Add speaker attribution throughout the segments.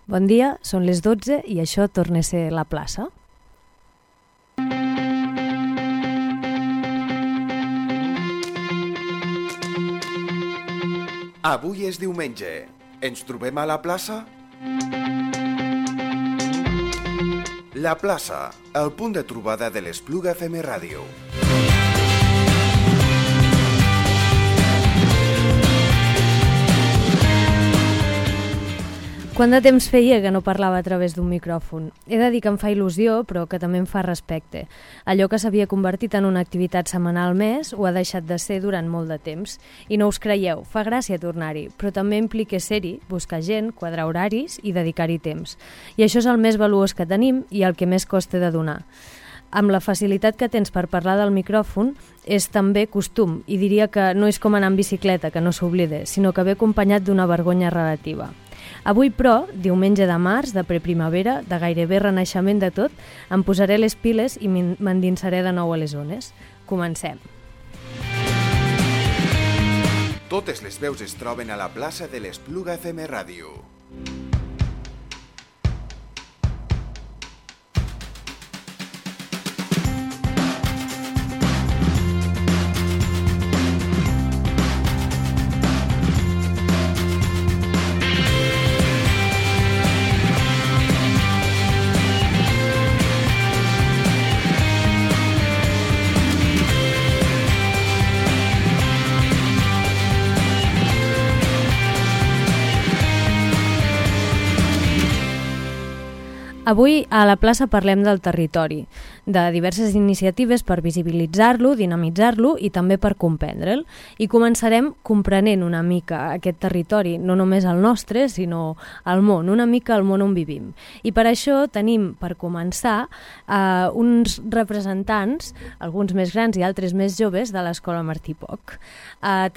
Speaker 1: Bon dia, són les 12 i això torna a ser La Plaça.
Speaker 2: Avui és diumenge. Ens trobem a la plaça? La plaça, el punt de trobada de l'Espluga FM Ràdio.
Speaker 1: Quant de temps feia que no parlava a través d'un micròfon? He de dir que em fa il·lusió, però que també em fa respecte. Allò que s'havia convertit en una activitat setmanal més ho ha deixat de ser durant molt de temps. I no us creieu, fa gràcia tornar-hi, però també implica ser-hi, buscar gent, quadrar horaris i dedicar-hi temps. I això és el més valuós que tenim i el que més costa de donar. Amb la facilitat que tens per parlar del micròfon, és també costum, i diria que no és com anar en bicicleta, que no s'oblide, sinó que ve acompanyat d'una vergonya relativa. Avui, però, diumenge de març, de preprimavera, de gairebé renaixement de tot, em posaré les piles i m'endinsaré de nou a les zones. Comencem.
Speaker 2: Totes les veus es troben a la plaça de l'Espluga FM Ràdio.
Speaker 1: Avui a la plaça parlem del territori, de diverses iniciatives per visibilitzar-lo, dinamitzar-lo i també per comprendre'l. I començarem comprenent una mica aquest territori, no només el nostre, sinó el món, una mica el món on vivim. I per això tenim, per començar, uns representants, alguns més grans i altres més joves, de l'Escola Martí Poch.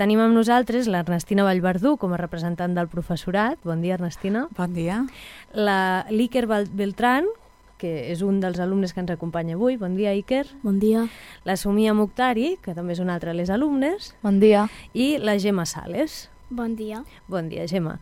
Speaker 1: Tenim amb nosaltres l'Ernestina Vallverdú com a representant del professorat. Bon dia, Ernestina.
Speaker 3: Bon dia.
Speaker 1: L'Iker Beltrán, que és un dels alumnes que ens acompanya avui. Bon dia, Iker.
Speaker 4: Bon dia.
Speaker 1: La Sumia Muktari, que també és una altra de les alumnes.
Speaker 4: Bon dia.
Speaker 1: I la Gemma Sales.
Speaker 4: Bon dia.
Speaker 1: Bon dia, Gemma.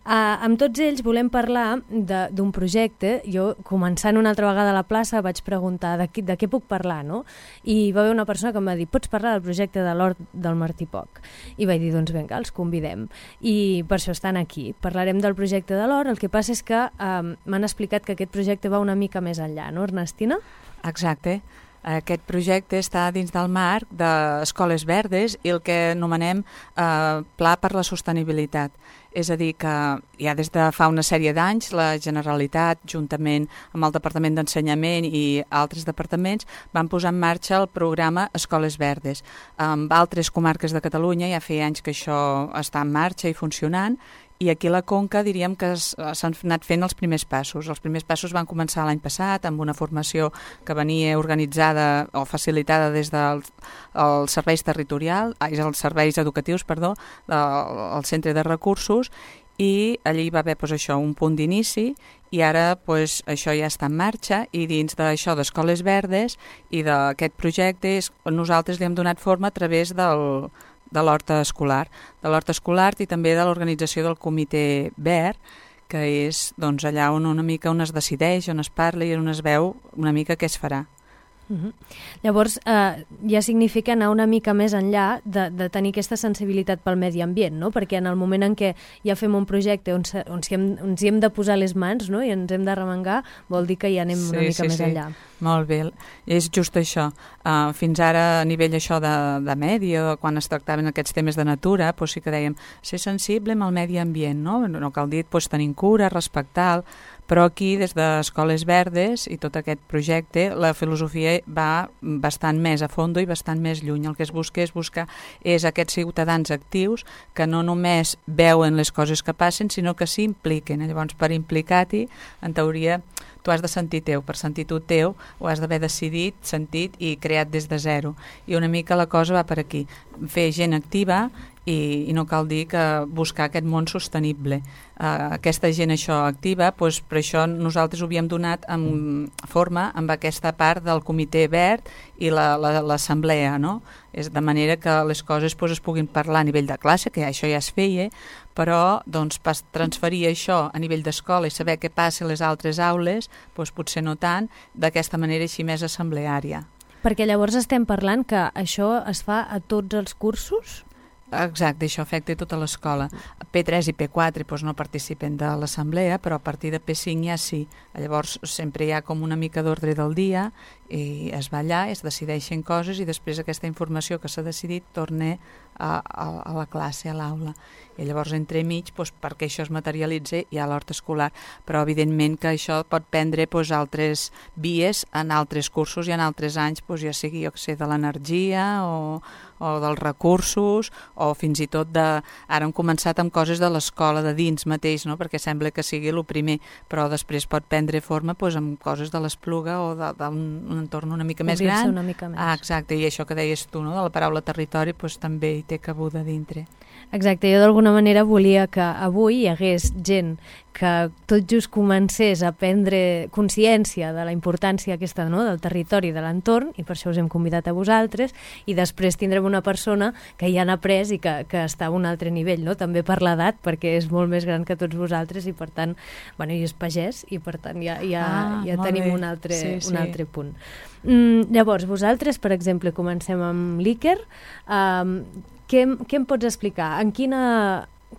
Speaker 1: Amb tots ells volem parlar d'un projecte. Jo, començant una altra vegada a la plaça, vaig preguntar de què puc parlar, no? I va haver una persona que em va dir, pots parlar del projecte de l'Hort del Martí Poch? I vaig dir, doncs vinga, els convidem. I per això estan aquí. Parlarem del projecte de l'Hort. El que passa és que m'han explicat que aquest projecte va una mica més enllà, no, Ernestina?
Speaker 3: Exacte. Aquest projecte està dins del marc d'Escoles Verdes i el que anomenem Pla per la Sostenibilitat. És a dir, que ja des de fa una sèrie d'anys la Generalitat, juntament amb el Departament d'Ensenyament i altres departaments, van posar en marxa el programa Escoles Verdes. Amb altres comarques de Catalunya ja feia anys que això està en marxa i funcionant, i aquí a la Conca diríem que s'han anat fent els primers passos. Els primers passos van començar l'any passat amb una formació que venia organitzada o facilitada des dels serveis els serveis educatius, del Centre de Recursos, i allí va haver això, un punt d'inici, i ara això ja està en marxa, i dins d'això d'Escoles Verdes i d'aquest projecte nosaltres li hem donat forma a través de l'hort escolar, i també de l'organització del Comitè Verd, que és allà on una mica on es decideix, on es parla i on es veu una mica què es farà.
Speaker 1: Llavors, ja significa anar una mica més enllà de tenir aquesta sensibilitat pel medi ambient, no? Perquè en el moment en què ja fem un projecte on hi hem de posar les mans, no? I ens hem de remengar, vol dir que ja anem una mica més enllà.
Speaker 3: Molt bé, és just això. Fins ara, a nivell això de medi, quan es tractaven aquests temes de natura, sí que dèiem ser sensible amb el medi ambient, no? No cal dir tenir cura, respectar-lo, però aquí, des d'Escoles Verdes i tot aquest projecte, la filosofia va bastant més a fondo i bastant més lluny. El que es busca és aquests ciutadans actius que no només veuen les coses que passen, sinó que s'hi impliquen. Llavors, per implicar-t'hi, en teoria, tu has de sentir teu. Per sentir tu teu, ho has d'haver decidit, sentit i creat des de zero. I una mica la cosa va per aquí. Fer gent activa i no cal dir que buscar aquest món sostenible. Aquesta gent això activa, doncs per això nosaltres ho havíem donat en forma amb aquesta part del comitè verd i l'assemblea, no? És de manera que les coses doncs, es puguin parlar a nivell de classe, que això ja es feia, però doncs, transferir això a nivell d'escola i saber què passa a les altres aules, doncs, potser no tant, d'aquesta manera així més assembleària.
Speaker 1: Perquè llavors estem parlant que això es fa a tots els cursos?
Speaker 3: Exacte, això afecta tota l'escola. P3 i P4 doncs, no participen de l'assemblea, però a partir de P5 ja sí. Llavors sempre hi ha com una mica d'ordre del dia i es va allà, es decideixen coses i després aquesta informació que s'ha decidit torna a la classe, a l'aula. I llavors entremig, doncs, perquè això es materialitza, hi ha l'hort escolar, però evidentment que això pot prendre doncs, altres vies en altres cursos i en altres anys, doncs, ja sigui jo que sé, de l'energia o dels recursos o fins i tot ara hem començat amb coses de l'escola de dins mateix, no? Perquè sembla que sigui el primer, però després pot prendre forma doncs, amb coses de l'Espluga o d'un entorn una mica més gran.
Speaker 1: Una mica més.
Speaker 3: Exacte, i això que deies tu, no? De la paraula territori doncs, també hi té cabuda dintre.
Speaker 1: Exacte, jo d'alguna manera volia que avui hi hagués gent que tot just comencés a prendre consciència de la importància aquesta, no? Del territori, de l'entorn, i per això us hem convidat a vosaltres, i després tindrem una persona que ja n'ha après i que està a un altre nivell, no? També per l'edat, perquè és molt més gran que tots vosaltres i per tant, bueno, i és pagès i per tant ja tenim un altre punt. Llavors, vosaltres, per exemple, comencem amb l'Iker. Què em pots explicar?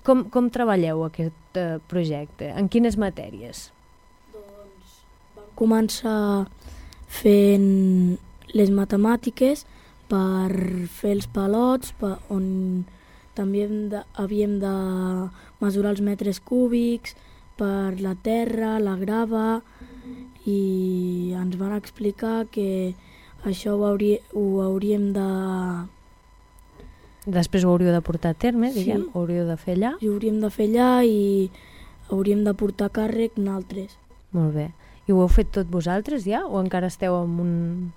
Speaker 1: Com treballeu aquest projecte? En quines matèries?
Speaker 4: Doncs vam començar fent les matemàtiques per fer els palots, on també havíem de mesurar els metres cúbics, per la terra, la grava, i ens van explicar que això ho hauríem de...
Speaker 1: Després ho hauríeu de portar a terme, diguem,
Speaker 4: Sí.
Speaker 1: ho hauríeu de fer allà.
Speaker 4: I ho hauríem de fer allà i hauríem de portar càrrec nosaltres.
Speaker 1: Molt bé. I ho heu fet tot vosaltres ja? O encara esteu en un...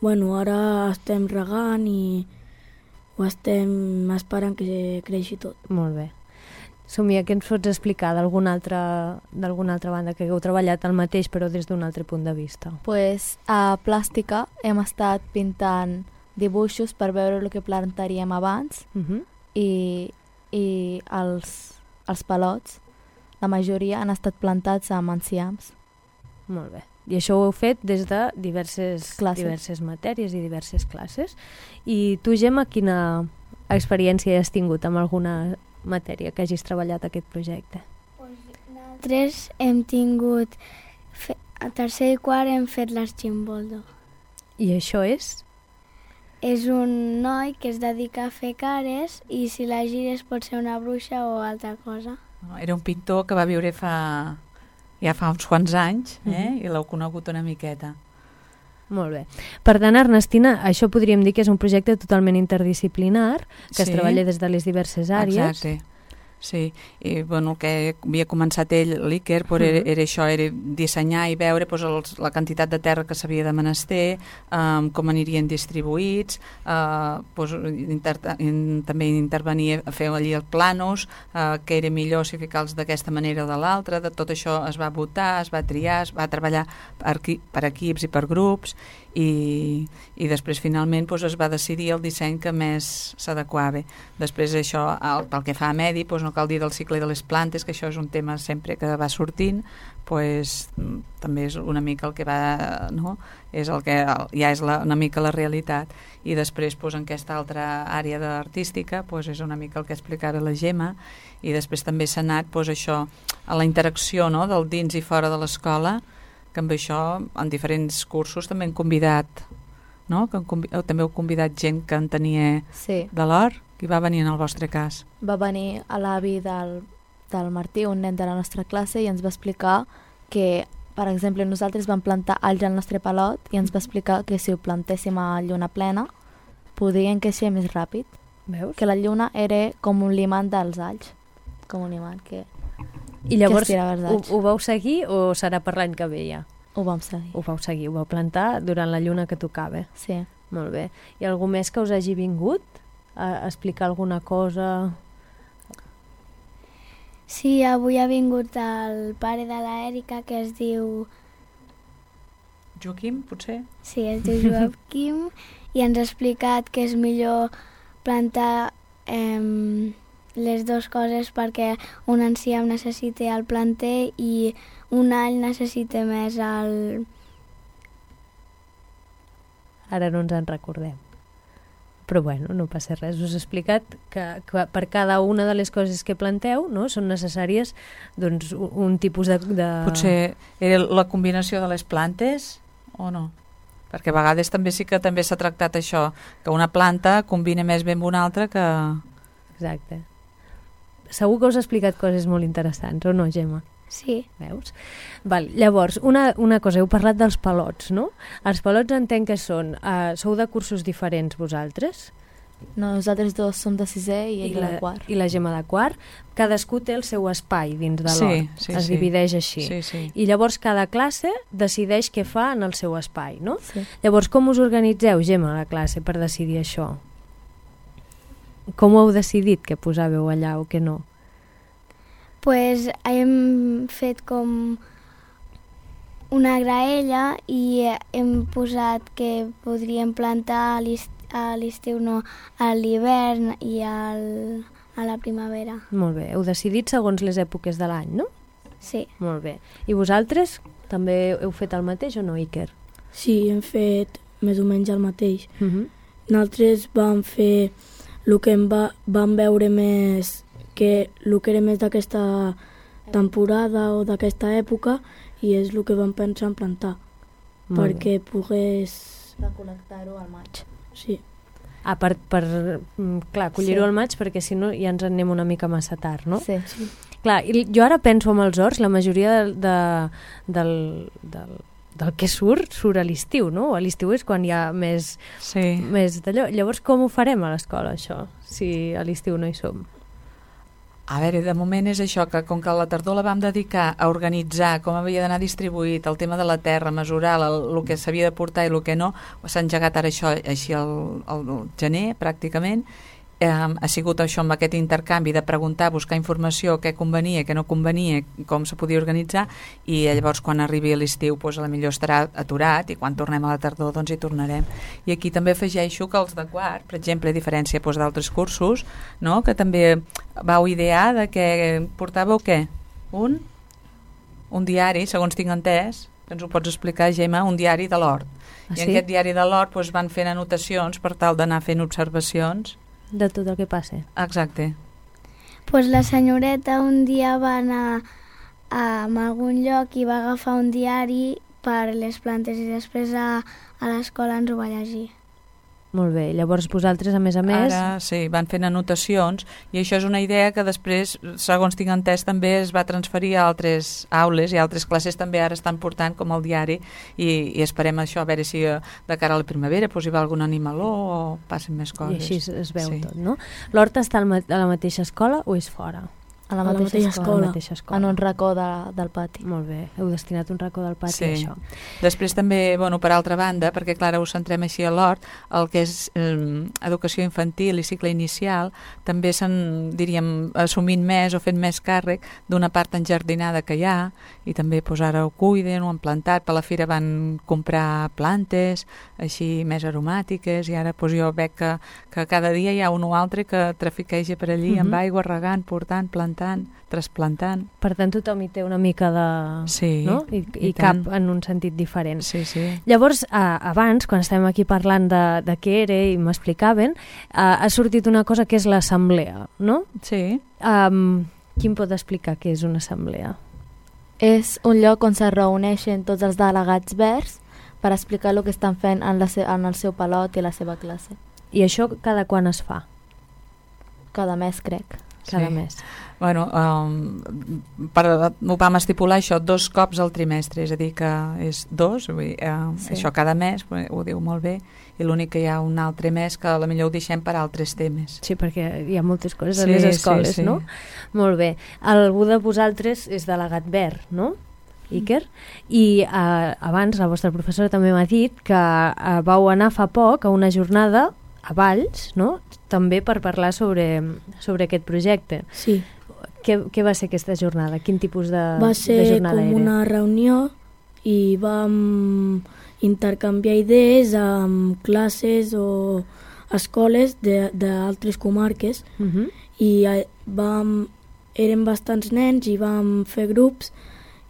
Speaker 4: Bueno, ara estem regant i ho estem esperant que creixi tot.
Speaker 1: Molt bé. Somia, què ens pots explicar d'alguna altra banda que hagueu treballat el mateix però des d'un altre punt de vista?
Speaker 5: Pues a plàstica hem estat pintant dibuixos per veure el que plantaríem abans i els palots, la majoria han estat plantats amb enciams.
Speaker 1: Molt bé. I això ho heu fet des de diverses matèries i diverses classes. I tu, Gemma, quina experiència has tingut amb alguna matèria que hagis treballat aquest projecte?
Speaker 6: Nosaltres hem tingut, a tercer i quart hem fet l'Archimboldo.
Speaker 1: I això és?
Speaker 6: És un noi que es dedica a fer cares i si la gires pot ser una bruixa o altra cosa.
Speaker 3: Era un pintor que va viure fa uns quants anys i l'heu conegut una miqueta.
Speaker 1: Molt bé. Per tant, Ernestina, això podríem dir que és un projecte totalment interdisciplinar, que es treballa des de les diverses àrees.
Speaker 3: Exacte. Sí, i bueno, el que havia començat ell, l'Iker, era això, era dissenyar i veure la quantitat de terra que s'havia de menester, com anirien distribuïts, també intervenir a fer allí els planos, que era millor si ficar-los d'aquesta manera o de l'altra, de tot això es va votar, es va triar, es va treballar per equips i per grups, i després finalment es va decidir el disseny que més s'adequava. Després això, pel que fa a medi, no cal dir del cicle de les plantes, que això és un tema sempre que va sortint, també és una mica el que va, no? És el que ja és una mica la realitat. I després en aquesta altra àrea artística és una mica el que explicava la Gemma, i després també s'ha anat això a la interacció, no? Del dins i fora de l'escola, que amb això en diferents cursos també hem convidat, no? També heu convidat gent que en tenia de l'hort. Qui va venir en el vostre cas?
Speaker 5: Va venir a l'avi del Martí, un nen de la nostra classe, i ens va explicar que, per exemple, nosaltres vam plantar alls al nostre palot i ens va explicar que si ho plantéssim a lluna plena podien créixer més ràpid.
Speaker 1: Veus?
Speaker 5: Que la lluna era com un imant dels alls, com un imant que...
Speaker 1: I llavors ho vau seguir o serà per l'any que ve ja?
Speaker 5: Ho vam seguir.
Speaker 1: Ho vau seguir, ho vau plantar durant la lluna que tocava.
Speaker 5: Sí.
Speaker 1: Molt bé. I algú més que us hagi vingut explicar alguna cosa?
Speaker 6: Sí, avui ha vingut el pare de l'Èrica, que es diu...
Speaker 3: Joaquim, potser?
Speaker 6: Sí, es diu Joaquim, i ens ha explicat que és millor plantar les dues coses perquè un enciam necessita el planter i un all necessita més el...
Speaker 1: Ara no ens en recordem. Però bueno, no passa res. Us he explicat que per cada una de les coses que planteu, no, són necessàries doncs, un tipus de...
Speaker 3: Potser era la combinació de les plantes o no? Perquè a vegades també sí que també s'ha tractat això, que una planta combina més bé amb una altra que...
Speaker 1: Exacte. Segur que us ha explicat coses molt interessants, o no, Gemma?
Speaker 6: Sí.
Speaker 1: Veus? Val, llavors, una cosa, heu parlat dels palots, no? Els palots entenc que són... sou de cursos diferents vosaltres?
Speaker 5: No, nosaltres dos som de sisè i ell de quart.
Speaker 1: I la Gemma de quart. Cadascú té el seu espai dins de l'hort. Es divideix així.
Speaker 3: Sí.
Speaker 1: I llavors cada classe decideix què fa en el seu espai, no?
Speaker 5: Sí.
Speaker 1: Llavors, com us organitzeu, Gemma, a la classe per decidir això? Com ho heu decidit que posàveu allà o que no?
Speaker 6: Pues hem fet com una graella i hem posat que podríem plantar a l'estiu, no, a l'hivern i a la primavera.
Speaker 1: Molt bé. Heu decidit segons les èpoques de l'any, no?
Speaker 6: Sí.
Speaker 1: Molt bé. I vosaltres també heu fet el mateix o no, Iker?
Speaker 4: Sí, hem fet més o menys el mateix. Nosaltres vam fer el que vam veure més, que el que era més d'aquesta temporada o d'aquesta època, i és el que vam pensar en plantar, perquè pogués...
Speaker 5: Recol·lectar-ho al maig.
Speaker 4: Sí.
Speaker 1: Clar, collir-ho al maig, perquè si no ja ens en anem una mica massa tard, no?
Speaker 5: Sí.
Speaker 1: Clar, jo ara penso amb els horts, la majoria del que surt a l'estiu, no? A l'estiu és quan hi ha més d'allò. Llavors, com ho farem a l'escola, això, si a l'estiu no hi som?
Speaker 3: A veure, de moment és això, que com que a la tardor la vam dedicar a organitzar com havia d'anar distribuït, el tema de la terra, mesurar el que s'havia de portar i el que no, s'ha engegat ara això així al gener, pràcticament. Ha sigut això amb aquest intercanvi de preguntar, buscar informació, què convenia, què no convenia, com se podia organitzar, i llavors quan arribi a l'estiu doncs, potser estarà aturat, i quan tornem a la tardor doncs hi tornarem. I aquí també afegeixo que els de quart, per exemple, a diferència doncs, d'altres cursos, no? Que també vau idear de que portàveu què? Un diari, segons tinc entès, que ens ho pots explicar, Gemma, un diari de l'hort. I en aquest diari de l'hort doncs, van fent anotacions per tal d'anar fent observacions
Speaker 1: de tot el que passa.
Speaker 3: Exacte.
Speaker 6: Pues la senyoreta un dia va anar a algun lloc i va agafar un diari per les plantes i després a l'escola ens ho va llegir.
Speaker 1: Molt bé, llavors vosaltres a més...
Speaker 3: Ara sí, van fent anotacions i això és una idea que després, segons tinc entès, també es va transferir a altres aules i altres classes també ara estan portant com el diari i esperem això, a veure si de cara a la primavera hi va algun animaló o passen més coses.
Speaker 1: I així es veu tot, no? L'hort està a la mateixa escola o és fora?
Speaker 5: A la mateixa escola. En un racó del pati.
Speaker 1: Molt bé, heu destinat un racó del pati a això.
Speaker 3: Després també, per altra banda, perquè clar, us centrem així a l'hort, el que és educació infantil i cicle inicial, també s'han, diríem, assumint més o fent més càrrec d'una part enjardinada que hi ha, i també ara ho cuiden, ho han plantat, per la fira van comprar plantes, així més aromàtiques, i ara jo veig que cada dia hi ha un o altre que trafiqueja per allí amb aigua, regant, portant, plantant, trasplantant.
Speaker 1: Per tant, tothom hi té una mica de...
Speaker 3: Sí,
Speaker 1: no? I cap en un sentit diferent.
Speaker 3: Sí.
Speaker 1: Llavors, abans, quan estàvem aquí parlant de què era i m'explicaven, ha sortit una cosa que és l'assemblea, no?
Speaker 3: Sí.
Speaker 5: Qui
Speaker 1: em pot explicar què és una assemblea?
Speaker 5: És un lloc on se reuneixen tots els delegats verds per explicar el que estan fent en el seu palot i la seva classe.
Speaker 1: I això cada quan es fa?
Speaker 5: Cada mes, crec.
Speaker 1: Cada mes.
Speaker 3: Ho vam estipular això 2 cops al trimestre, és a dir que és 2, això cada mes, ho diu molt bé, i l'únic que hi ha un altre mes que potser ho deixem per altres temes.
Speaker 1: Sí, perquè hi ha moltes coses a les escoles, no? Molt bé. Algú de vosaltres és delegat verd, no? Iker? I abans la vostra professora també m'ha dit que vau anar fa poc a una jornada a Valls, no? també per parlar sobre aquest projecte.
Speaker 4: Sí.
Speaker 1: Què va ser aquesta jornada? Quin tipus de jornada era?
Speaker 4: Va ser com una reunió i vam intercanviar idees amb classes o escoles d'altres comarques i érem bastants nens i vam fer grups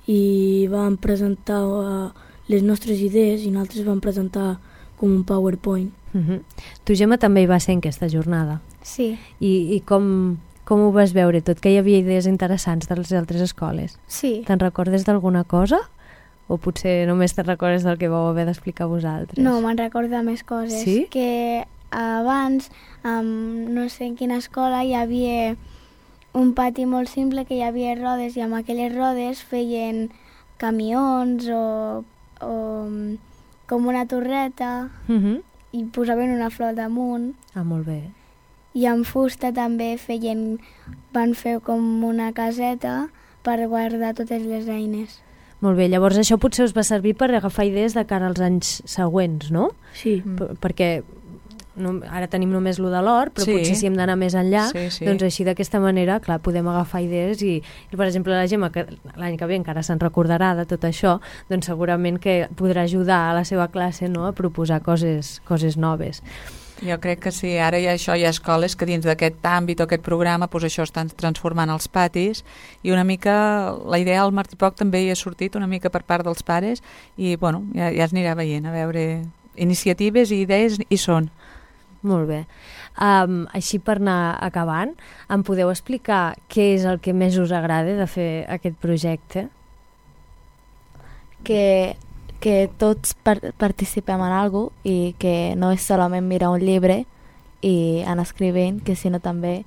Speaker 4: i vam presentar les nostres idees i nosaltres vam presentar com un PowerPoint.
Speaker 1: Tu, Gemma, també hi va ser en aquesta jornada.
Speaker 6: Sí.
Speaker 1: I com ho vas veure tot? Que hi havia idees interessants de les altres escoles?
Speaker 6: Sí.
Speaker 1: Te'n recordes d'alguna cosa? O potser només te'n recordes del que vau haver d'explicar vosaltres?
Speaker 6: No, me'n recordo més coses.
Speaker 1: Sí?
Speaker 6: Que abans, no sé en quina escola, hi havia un pati molt simple que hi havia rodes i amb aquelles rodes feien camions o com una torreta i posaven una flor damunt.
Speaker 1: Ah, molt bé.
Speaker 6: I amb fusta també van fer com una caseta per guardar totes les eines.
Speaker 1: Molt bé, llavors això potser us va servir per agafar idees de cara als anys següents, no?
Speaker 4: Sí.
Speaker 1: Perquè ara tenim només lo de l'hort, però potser si hem d'anar més enllà, doncs així d'aquesta manera, clar, podem agafar idees i per exemple, la Gemma, que l'any que ve encara se'n recordarà de tot això, doncs segurament que podrà ajudar a la seva classe, no?, a proposar coses noves.
Speaker 3: Jo crec que sí, ara hi ha escoles que dins d'aquest àmbit o aquest programa doncs això estan transformant els patis i una mica la idea al Martipoc també hi ha sortit una mica per part dels pares i bueno, ja es anirà veient, a veure iniciatives i idees hi són.
Speaker 1: Molt bé. Així per anar acabant, em podeu explicar què és el que més us agrada de fer aquest projecte?
Speaker 5: Que tots participem en alguna cosa i que no és solament mirar un llibre i anar escrivint, que sinó també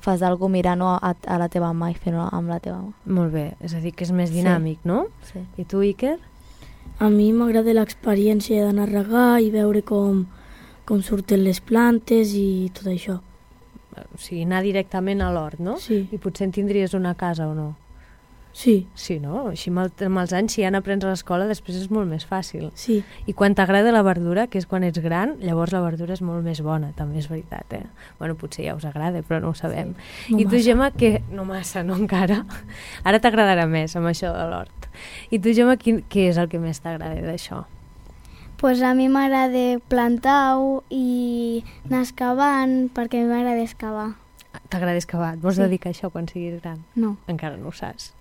Speaker 5: fas alguna cosa mirant-ho a la teva mà i fent-ho amb la teva mà.
Speaker 1: Molt bé, és a dir, que és més dinàmic, no?
Speaker 5: Sí.
Speaker 1: I tu, Iker?
Speaker 4: A mi m'agrada l'experiència d'anar a regar i veure com surten les plantes i tot això.
Speaker 1: O sigui, anar directament a l'hort, no?
Speaker 4: Sí.
Speaker 1: I potser en tindries una casa o no?
Speaker 4: Sí.
Speaker 1: Sí, no? Així amb els anys, si ja n'aprens a l'escola, després és molt més fàcil.
Speaker 4: Sí.
Speaker 1: I quan t'agrada la verdura, que és quan ets gran, llavors la verdura és molt més bona, també és veritat, eh? Bueno, potser ja us agrada, però no ho sabem.
Speaker 4: Sí. No
Speaker 1: I tu,
Speaker 4: massa.
Speaker 1: Gemma, que no massa, no encara? Ara t'agradarà més amb això de l'hort. I tu, Gemma, què és el que més t'agrada d'això?
Speaker 6: Pues a mi m'agrada plantar-ho i anar excavant, perquè a mi m'agrada excavar.
Speaker 1: T'agrada excavar? Et vols
Speaker 6: Sí.
Speaker 1: dedicar a això quan siguis gran?
Speaker 6: No.
Speaker 1: Encara no ho saps.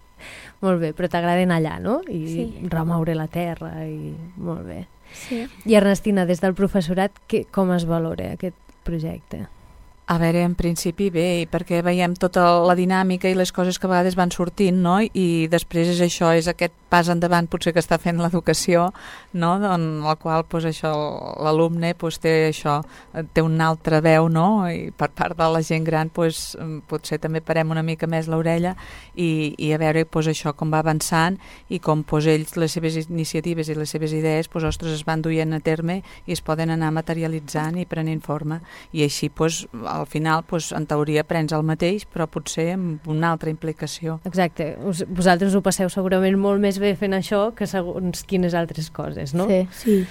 Speaker 1: Molt bé, però t'agrada anar allà, no? I
Speaker 6: Sí.
Speaker 1: remoure la terra i... Molt bé.
Speaker 6: Sí.
Speaker 1: I Ernestina, des del professorat, com es valora aquest projecte?
Speaker 3: A veure, en principi bé, perquè veiem tota la dinàmica i les coses que a vegades van sortint, no? I després és això, és aquest pas endavant potser que està fent l'educació, no? En el qual doncs, això l'alumne doncs, té una altra veu, no? I per part de la gent gran doncs, potser també parem una mica més l'orella i a veure doncs, això com va avançant i com doncs, ells, les seves iniciatives i les seves idees doncs, ostres, es van duient a terme i es poden anar materialitzant i prenent forma. I així doncs, al final, doncs, en teoria, prens el mateix, però potser amb una altra implicació.
Speaker 1: Exacte. Vosaltres ho passeu segurament molt més bé fent això que segons quines altres coses, no?
Speaker 5: Sí.
Speaker 4: Sí.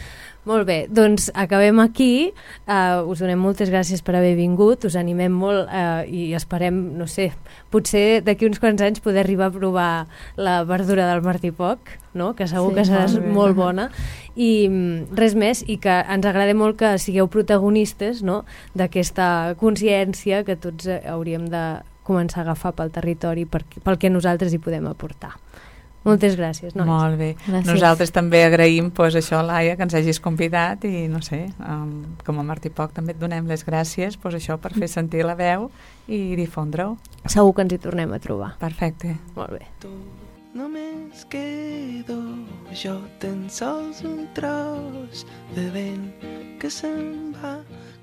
Speaker 1: Molt bé, doncs acabem aquí. Us donem moltes gràcies per haver vingut, us animem molt i esperem, no sé, potser d'aquí uns quants anys poder arribar a provar la verdura del Martipoc, no? Que segur que serà molt bona. I res més, i que ens agrada molt que sigueu protagonistes, no? D'aquesta consciència que tots hauríem de començar a agafar pel territori pel que nosaltres hi podem aportar. Moltes gràcies, nois.
Speaker 3: Molt bé.
Speaker 5: Gràcies.
Speaker 3: Nosaltres també agraïm doncs, això, Laia, que ens hagis convidat i, no sé, com a Martipoc també et donem les gràcies doncs, això per fer sentir la veu i difondre-ho.
Speaker 1: Segur que ens hi tornem a trobar.
Speaker 3: Perfecte.
Speaker 1: Molt bé.
Speaker 7: Només quedo jo, tan sols un tros de vent que se'n va.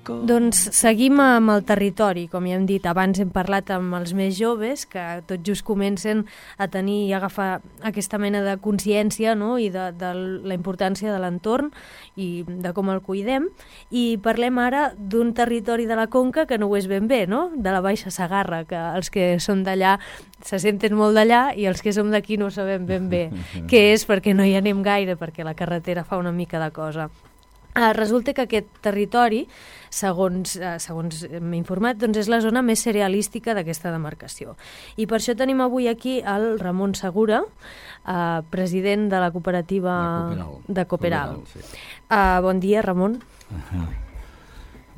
Speaker 1: Doncs seguim amb el territori, com ja hem dit. Abans hem parlat amb els més joves, que tot just comencen a tenir i agafar aquesta mena de consciència, no? I de la importància de l'entorn i de com el cuidem. I parlem ara d'un territori de la Conca que no ho és ben bé, no? De la Baixa Segarra, que els que són d'allà se senten molt d'allà i els que som d'aquí no sabem ben bé què és perquè no hi anem gaire, perquè la carretera fa una mica de cosa. Resulta que aquest territori, segons m'he informat, doncs és la zona més cerealística d'aquesta demarcació. I per això tenim avui aquí el Ramon Segura, president de la cooperativa de Cooperal.
Speaker 8: Sí.
Speaker 1: Bon dia, Ramon.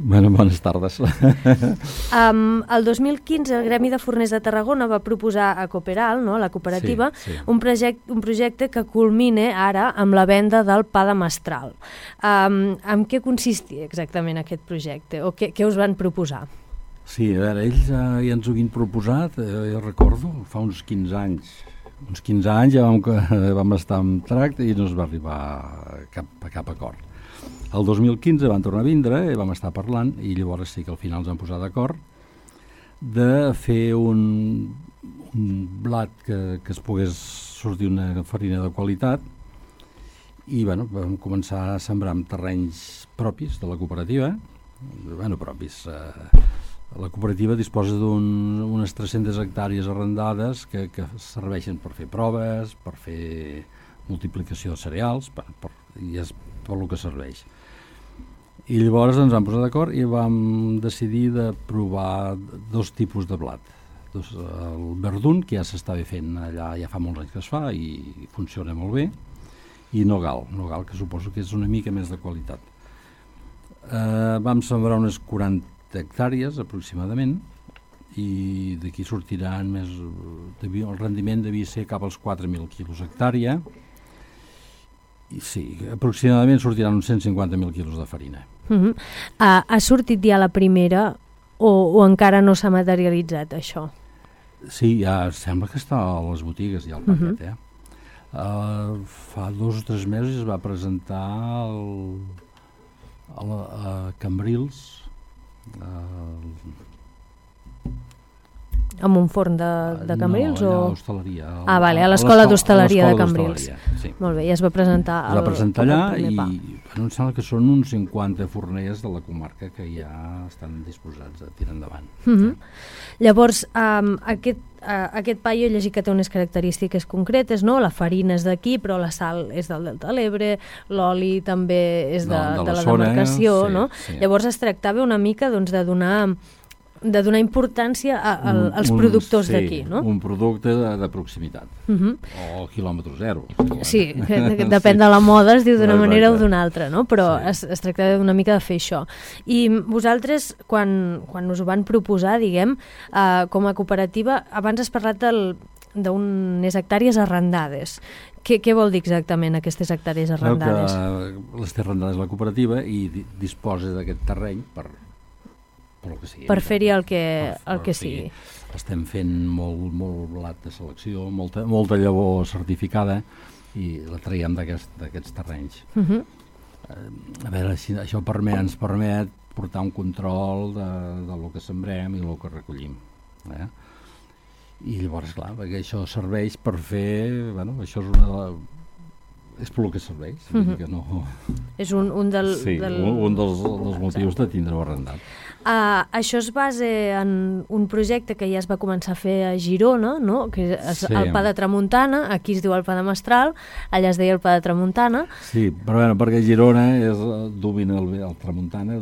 Speaker 8: Bueno, bones tardes.
Speaker 1: El 2015 el Gremi de Forners de Tarragona va proposar a Cooperal, no, a la cooperativa, un projecte que culmine ara amb la venda del pa de mestral. En què consistia exactament aquest projecte o què us van proposar?
Speaker 8: Sí, a veure, ells ja ens ho havien proposat, jo recordo, fa uns 15 anys. Uns 15 anys ja vam estar en tracte i no es va arribar a cap acord. El 2015 van tornar a vindre i vam estar parlant i llavors sí que al final ens vam posar d'acord de fer un blat que es pogués sortir una farina de qualitat i bueno, vam començar a sembrar en terrenys propis de la cooperativa. Propis. La cooperativa disposa d'unes 300 hectàrees arrendades que serveixen per fer proves, per fer multiplicació de cereals, i és per el que serveix. I llavors ens vam posar d'acord i vam decidir de provar 2 tipus de blat. El verdun, que ja s'estava fent allà, ja fa molts anys que es fa i funciona molt bé, i nogal, que suposo que és una mica més de qualitat. Vam sembrar unes 40 hectàrees aproximadament i d'aquí sortiran més... El rendiment devia ser cap als 4.000 quilos hectàrea i sí, aproximadament sortiran uns 150.000 quilos de farina.
Speaker 1: Ha sortit ja la primera o encara no s'ha materialitzat això?
Speaker 8: Sí, ja sembla que està a les botigues ja el paquet, fa 2 o 3 mesos es va presentar a Cambrils,
Speaker 1: amb un forn de Cambrils?
Speaker 8: No, a l'hostaleria.
Speaker 1: Vale, a l'escola d'hostaleria de Cambrils.
Speaker 8: Sí.
Speaker 1: Molt bé, ja es va presentar
Speaker 8: es va presentar allà i em sembla que són uns 50 forners de la comarca que ja estan disposats a tirar endavant.
Speaker 1: Llavors, aquest pa jo he llegit que té unes característiques concretes, no? La farina és d'aquí, però la sal és del Delta de l'Ebre, l'oli també és de la demarcació, no? Sí. Llavors es tractava una mica doncs, de donar importància als productors d'aquí, no?
Speaker 8: Un producte de proximitat, o quilòmetre zero.
Speaker 1: Sí, depèn de la moda, es diu d'una manera o d'una altra, no? Però es tracta una mica de fer això. I vosaltres, quan us ho van proposar, diguem, com a cooperativa, abans has parlat d'unes hectàrees arrendades. Què vol dir exactament aquestes hectàrees arrendades?
Speaker 8: Les té arrendades la cooperativa i disposa d'aquest terreny per
Speaker 1: fer-hi el que sigui.
Speaker 8: Estem fent molt blat de selecció, molta llavor certificada i la traiem d'aquests terrenys. A veure, això ens permet portar un control del que sembrem i el que recollim. I llavors, clar, perquè això serveix per fer... això és per el que serveix. Que no...
Speaker 1: És un dels
Speaker 8: motius de tindre-ho arrendat.
Speaker 1: Això es basa en un projecte que ja es va començar a fer a Girona, no? Que és el pa de tramuntana, aquí es diu el pa de mestral, allà es deia el pa de tramuntana.
Speaker 8: Sí, però perquè Girona domina el tramuntana,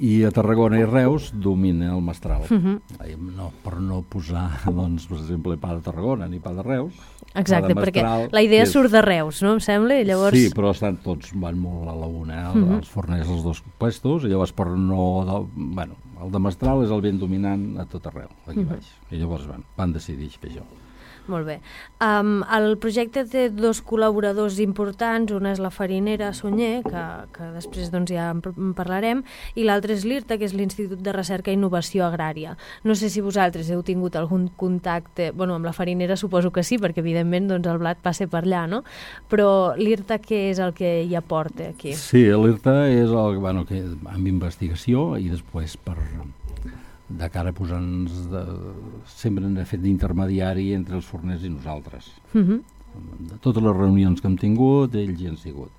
Speaker 8: i a Tarragona i Reus domina el mestral. Per no posar, doncs, per exemple, pa de Tarragona ni pa de Reus.
Speaker 1: Exacte, perquè la idea surt de Reus, no em sembla? I llavors...
Speaker 8: Sí, però van molt a la una, els forners dels 2 puestos, i llavors per no... el de mestral és el ben dominant a tot arreu, aquí baix. I llavors van decidir fer això.
Speaker 1: Molt bé. El projecte té 2 col·laboradors importants, una és la farinera Sunyer, que després doncs, ja en parlarem, i l'altre és l'IRTA, que és l'Institut de Recerca i Innovació Agrària. No sé si vosaltres heu tingut algun contacte, amb la farinera suposo que sí, perquè evidentment doncs, el blat passa per allà, no? Però l'IRTA què és el que hi aporta aquí?
Speaker 8: Sí, l'IRTA és amb investigació i després de cara a posar-nos sempre hem fet d'intermediari entre els forners i nosaltres. De totes les reunions que hem tingut, ells hi han sigut.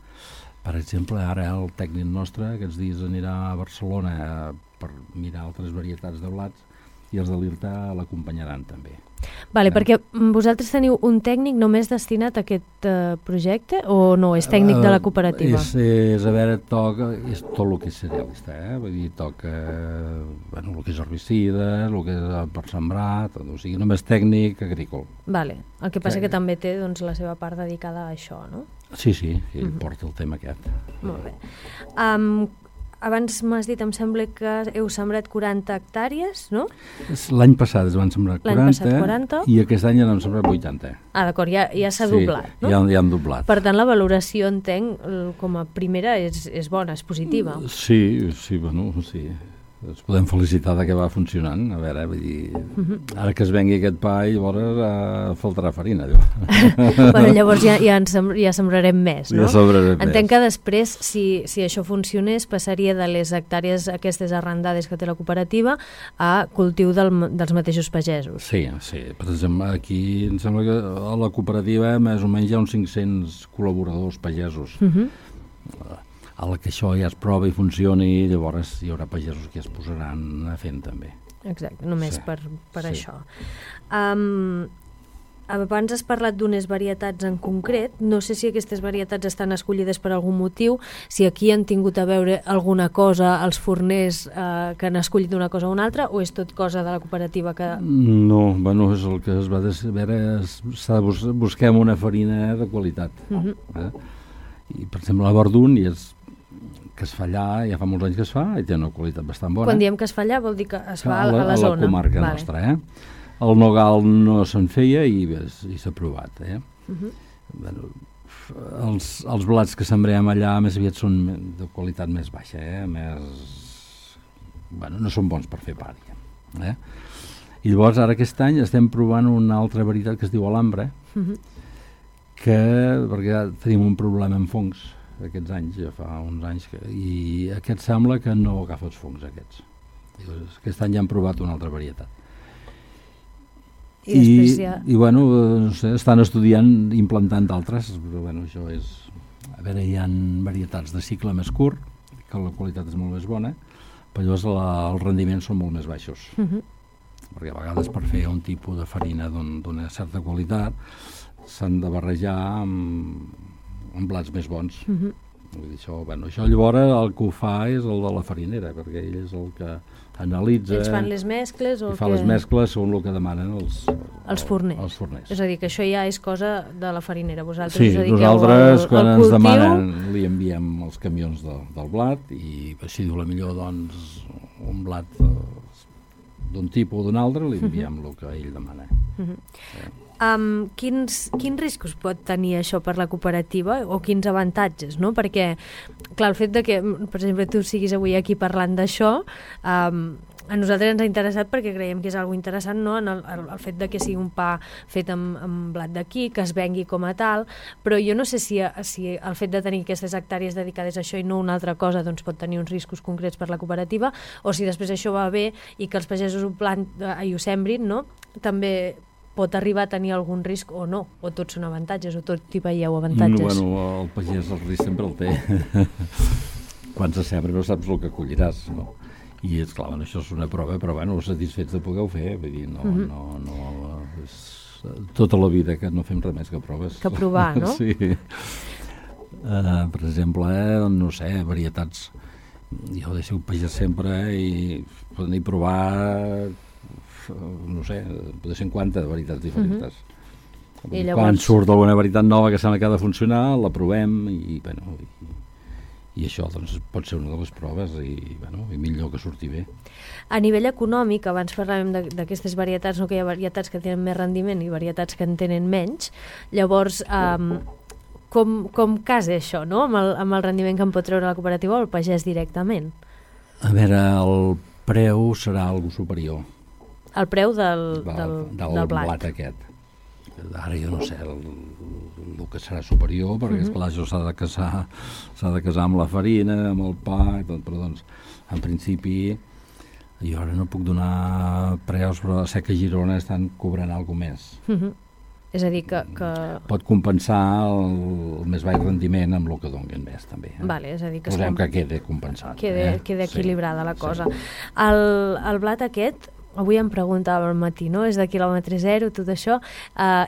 Speaker 8: Per exemple, ara el tècnic nostre aquests dies anirà a Barcelona per mirar altres varietats de blats i els de l'IRTA l'acompanyaran també.
Speaker 1: Vale, perquè vosaltres teniu un tècnic només destinat a aquest projecte o no? És tècnic de la cooperativa?
Speaker 8: És a veure, toca és tot el que és cerealista, vull dir, toca el que és herbicida, el que és per sembrar, tot, o sigui, només tècnic agrícola.
Speaker 1: Vale, el que passa que també té doncs, la seva part dedicada a això, no?
Speaker 8: Sí, ell porta el tema aquest.
Speaker 1: Molt bé. Abans m'has dit, em sembla que heu sembrat 40 hectàrees, no?
Speaker 8: L'any passat es van sembrar
Speaker 1: 40
Speaker 8: i aquest any ja n'hem sembrat 80.
Speaker 1: D'acord, ja s'ha doblat, no?
Speaker 8: Ja han doblat.
Speaker 1: Per tant, la valoració, entenc, com a primera és bona, és positiva.
Speaker 8: Sí. Ens podem felicitar que va funcionant. A veure, vull dir, ara que es vengui aquest pa, llavors faltarà farina.
Speaker 1: Llavors ja sembrarem més, no?
Speaker 8: Ja sembrarem més.
Speaker 1: Entenc que després, si això funcionés, passaria de les hectàrees aquestes arrendades que té la cooperativa a cultiu dels mateixos pagesos.
Speaker 8: Sí. Per exemple, aquí em sembla que a la cooperativa més o menys hi ha uns 500 col·laboradors pagesos. A la que això ja es prova i funcioni, llavors hi haurà pagesos que es posaran a fent també.
Speaker 1: Exacte, només per això. Abans has parlat d'unes varietats en concret, no sé si aquestes varietats estan escollides per algun motiu, si aquí han tingut a veure alguna cosa els forners que han escollit una cosa o una altra, o és tot cosa de la cooperativa que...
Speaker 8: No, és el que es va veure, busquem una farina de qualitat. I, per exemple, la Verdun que es fa allà, ja fa molts anys que es fa, i té una qualitat bastant bona.
Speaker 1: Quan diem que es fa allà vol dir que es fa a la zona.
Speaker 8: A la comarca nostra, El nogal no se'n feia i s'ha provat, Els blats que sembrem allà més aviat són de qualitat més baixa, no són bons per fer pa, I llavors ara aquest any estem provant una altra varietat que es diu Alhambra, perquè tenim un problema amb fongs aquests anys, ja fa uns anys, i aquest sembla que no agafa els fongs aquests. Aquest any ja han provat una altra varietat. No sé, estan estudiant, implantant d'altres, però això és... A veure, hi ha varietats de cicle més curt, que la qualitat és molt més bona, però llavors els rendiments són molt més baixos. Perquè a vegades per fer un tipus de farina d'una certa qualitat s'han de barrejar amb blats més bons. Vull dir, això llavors el que ho fa és el de la farinera, perquè ell és el que analitza...
Speaker 1: Ells fan les mescles?
Speaker 8: Les mescles són el que demanen els forners.
Speaker 1: És a dir, que això ja és cosa de la farinera.
Speaker 8: Sí, nosaltres quan ens demanen li enviem els camions del blat i si diu la millor un blat d'un tipus o d'un altre li enviem el que ell demana.
Speaker 1: Quins riscos pot tenir això per la cooperativa o quins avantatges, no? Perquè, clar, el fet de que, per exemple, tu siguis avui aquí parlant d'això, a nosaltres ens ha interessat perquè creiem que és algo interessant, no? El fet de que sigui un pa fet amb blat d'aquí, que es vengui com a tal, però jo no sé si el fet de tenir aquestes hectàrees dedicades a això i no una altra cosa doncs pot tenir uns riscos concrets per la cooperativa, o si després això va bé i que els pagesos ho sembrin, no? També pot arribar a tenir algun risc o no, o tots són avantatges, o tot hi veieu avantatges?
Speaker 8: El pagès el risc sempre el té. Quan se sembra no saps el que colliràs, no? I és clar, això és una prova, però satisfets de poder-ho fer, vull dir, és tota la vida que no fem res més que proves.
Speaker 1: Que provar, no?
Speaker 8: Sí. Per exemple, no sé, varietats, jo he sigut pagès sempre i poder provar no sé, potser 50 varietats diferents. Quan surt alguna varietat nova que sembla que ha de funcionar, la provem i això doncs, pot ser una de les proves i millor que surti bé.
Speaker 1: A nivell econòmic, abans parlàvem d'aquestes varietats, no, que hi ha varietats que tenen més rendiment i varietats que en tenen menys, llavors com casa això, no? Amb el rendiment que en pot treure la cooperativa o el pagès directament?
Speaker 8: A veure, el preu serà algo superior.
Speaker 1: El preu del blat
Speaker 8: aquest. Ara jo no sé el que serà superior, perquè esclar, això s'ha de casar amb la farina, amb el pa, i tot, però doncs, en principi, jo ara no puc donar preus, però sé que a Girona estan cobrant alguna més.
Speaker 1: És a dir, que...
Speaker 8: Pot compensar el més baix rendiment amb el que donen més, també.
Speaker 1: Vale, és a dir,
Speaker 8: posem que quede compensat.
Speaker 1: Quede equilibrada la cosa.
Speaker 8: Sí.
Speaker 1: El blat aquest, avui em preguntava al matí, no? És de quilòmetre zero, tot això.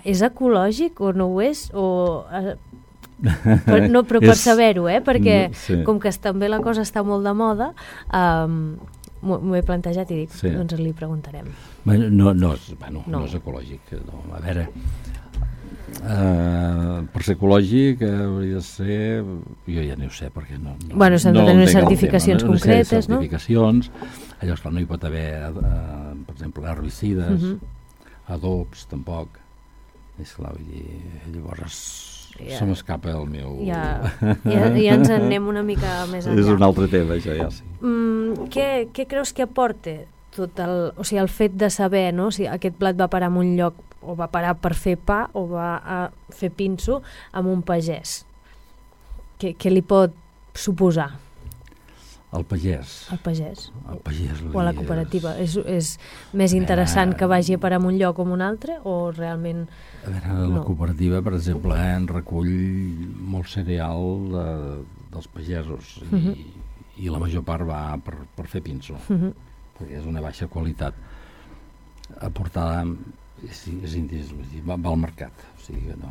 Speaker 1: És ecològic o no ho és? Però per saber-ho, perquè com que també la cosa està molt de moda, m'ho he plantejat i dic, doncs li preguntarem.
Speaker 8: No és ecològic. No. A veure, per ser ecològic hauria de ser, jo ja no ho sé perquè
Speaker 1: s'han de tenir certificacions concretes, no?
Speaker 8: Certificacions, allò esclar, no hi pot haver per exemple herbicides, adobs tampoc, és clar, vull dir, llavors se m'escapa el meu...
Speaker 1: Ja ens en anem una mica més enllà.
Speaker 8: És un altre tema, això ja sí.
Speaker 1: Què creus que aporta tot el fet de saber, no? Si aquest plat va parar en un lloc o va parar per fer pa o va a fer pinso amb un pagès? Què li pot suposar?
Speaker 8: El pagès.
Speaker 1: El pagès.
Speaker 8: O
Speaker 1: a la cooperativa. És més interessant que vagi a parar en un lloc o en un altre o realment...
Speaker 8: A veure, la cooperativa, per exemple, en recull molt cereal dels pagesos i la major part va per fer pinso, perquè és una baixa qualitat. Aportar va al mercat, o sigui que no.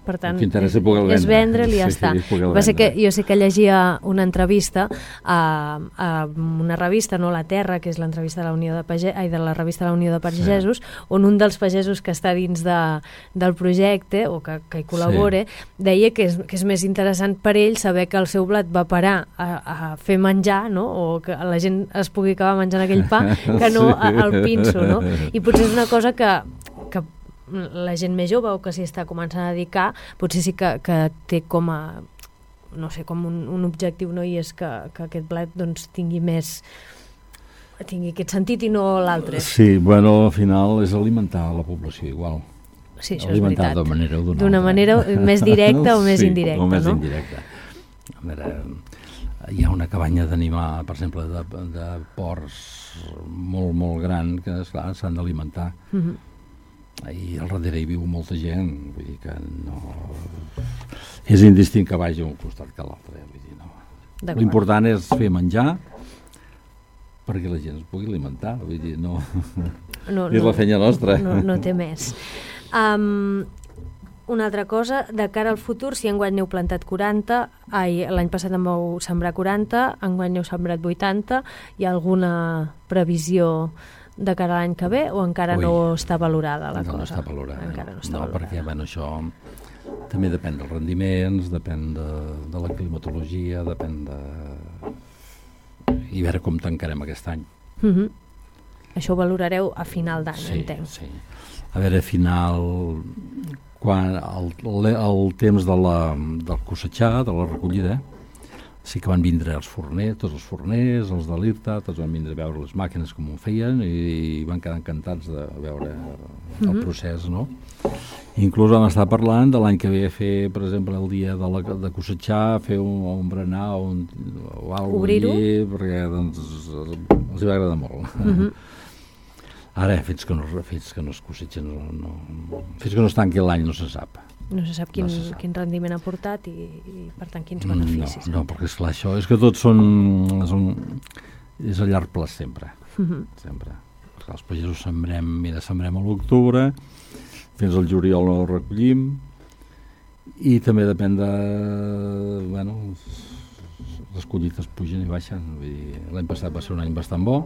Speaker 1: Per tant,
Speaker 8: és
Speaker 1: vendre-li i ja està. Va ser que jo sé que llegia una entrevista a una revista, no La Terra, que és l'entrevista de la Unió de la revista de la Unió de Pagesos, on un dels pagesos que està dins del projecte o que hi col·labora deia que és més interessant per ell saber que el seu blat va parar a fer menjar, no? O que la gent es pugui acabar menjant aquell pa que no al pinso, no? I potser és una cosa que la gent més jove o que s'hi està començant a dedicar potser sí que té com a no sé, com un objectiu, no? I és que aquest plat doncs tingui aquest sentit i no l'altre.
Speaker 8: Sí, bueno, al final és alimentar la població igual.
Speaker 1: Sí, això
Speaker 8: alimentar
Speaker 1: és veritat.
Speaker 8: D'una manera o d'una altra.
Speaker 1: D'una manera més directa o més indirecta,
Speaker 8: o més
Speaker 1: no?
Speaker 8: indirecta. A veure, hi ha una cabanya d'animar, per exemple, de porcs molt, molt gran que, esclar, s'han d'alimentar. I al darrere hi viu molta gent, vull dir que no... És indistint que vagi a un costat que a l'altre, vull dir, no. L'important és fer menjar perquè la gent es pugui alimentar, vull dir, no... És la feina nostra.
Speaker 1: No té més. Una altra cosa, de cara al futur, si enguany n'heu plantat 40, l'any passat en vau sembrar 40, enguany n'heu sembrat 80, hi ha alguna previsió de cara a l'any que ve o encara no està valorada la cosa?
Speaker 8: No està valorada.
Speaker 1: Encara no està valorada.
Speaker 8: Perquè això també depèn dels rendiments, depèn de la climatologia, depèn de... I veure com tancarem aquest any.
Speaker 1: Això ho valorareu a final d'any, entenc.
Speaker 8: Sí. A veure, a final... Quan el temps del cossetxar, de la recollida, sí que van vindre els forners, tots els forners, els de l'IRTA, tots van vindre a veure les màquines com ho feien i van quedar encantats de veure el procés, no? Inclús vam estar parlant de l'any que ve a fer, per exemple, el dia de cossetxar, fer un berenar o alguna cosa allí, perquè doncs, els va agradar molt. Ara, fins que no es cossetgen, fins que no es tanqui l'any no se sap.
Speaker 1: No se sap quin rendiment ha portat i per tant, quins beneficis.
Speaker 8: No, perquè esclar, això és que tots és a llarg plaç sempre. Sempre. Perquè els pagesos sembrem a l'octubre, fins al juliol no el recollim, i també depèn de... Bueno, les collites pugen i baixen. L'any passat va ser un any bastant bo,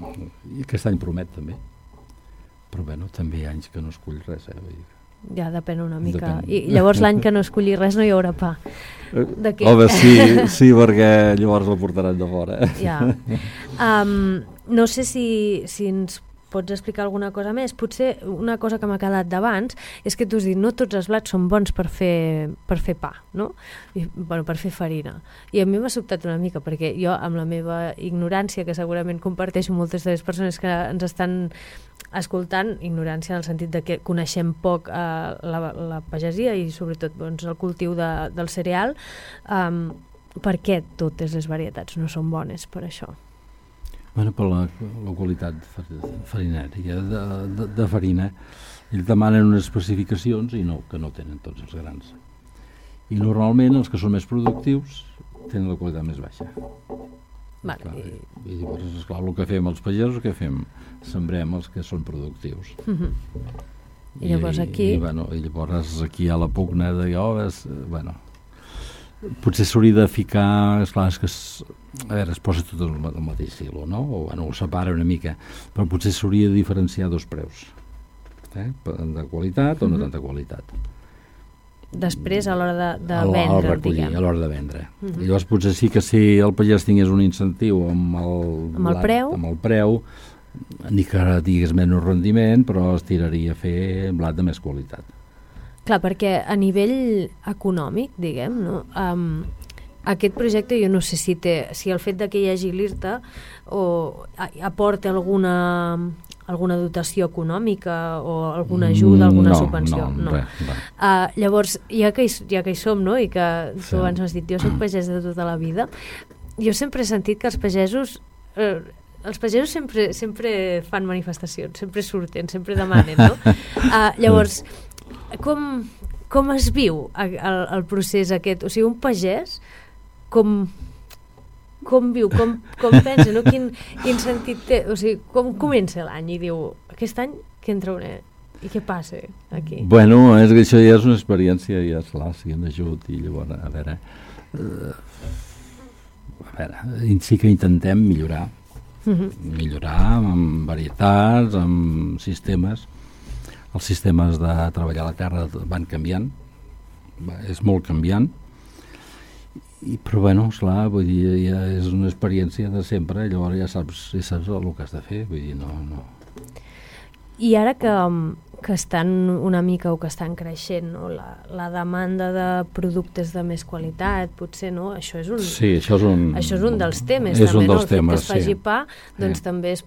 Speaker 8: i aquest any promet també. Però bueno, també hi ha anys que no es cull res,
Speaker 1: Ja depèn una mica. I llavors l'any que no es colli res no hi haurà pa.
Speaker 8: Home, sí, perquè llavors el portaran de fora.
Speaker 1: Ja. No sé si ens pots explicar alguna cosa més. Potser una cosa que m'ha quedat d'abans és que tu has dit no tots els blats són bons per fer pa, no? Per fer farina. I a mi m'ha sobtat una mica, perquè jo, amb la meva ignorància, que segurament comparteixo moltes de les persones que ens estan escoltant, ignorància en el sentit de que coneixem poc la pagesia i sobretot doncs, el cultiu del cereal, per què totes les varietats no són bones per això?
Speaker 8: Bueno, per la qualitat farinària de farina. Ells demanen unes especificacions que no tenen tots els grans. I normalment els que són més productius tenen la qualitat més baixa.
Speaker 1: Vale.
Speaker 8: I llavors, esclar, el que fem els pagesos, què fem? Sembrem els que són productius.
Speaker 1: I llavors aquí...
Speaker 8: I llavors aquí a la pugna de potser s'hauria de ficar, esclar, és que a veure, es posa tot al mateix silo, no? O ho separa una mica, però potser s'hauria de diferenciar dos preus, de qualitat o no tanta qualitat.
Speaker 1: Després, a l'hora de vendre, diguem.
Speaker 8: A l'hora de vendre. I llavors potser sí que si el pagès tingués un incentiu amb el preu, ni que digués menys rendiment, però es tiraria a fer blat de més qualitat.
Speaker 1: Clar, perquè a nivell econòmic, diguem, no? Aquest projecte jo no sé si el fet que hi hagi l'IRTA aporta alguna dotació econòmica o alguna ajuda, alguna subvenció.
Speaker 8: No.
Speaker 1: Llavors, ja que hi som, no? I que tu abans m'has dit, jo soc pagès de tota la vida, jo sempre he sentit que els pagesos sempre fan manifestacions, sempre surten, sempre demanen, no? Llavors, com es viu el procés aquest? O sigui, un pagès, com viu, com pensa, no? Quin sentit té? O sigui, com comença l'any i diu, aquest any què en trauré? I què passa aquí?
Speaker 8: Bueno, és que això ja és una experiència, ja és clar, si en ajut, i llavors, a veure, sí que intentem millorar amb varietats, amb sistemes. Els sistemes de treballar la terra van canviant, és molt canviant, però bueno, esclar, vull dir, ja és una experiència de sempre, llavors ja saps el que has de fer, vull dir, no.
Speaker 1: I ara que estan una mica o que estan creixent, no? La demanda de productes de més qualitat, potser, no? Això és un dels temes, també, no? El fet que es faci pa, doncs també és,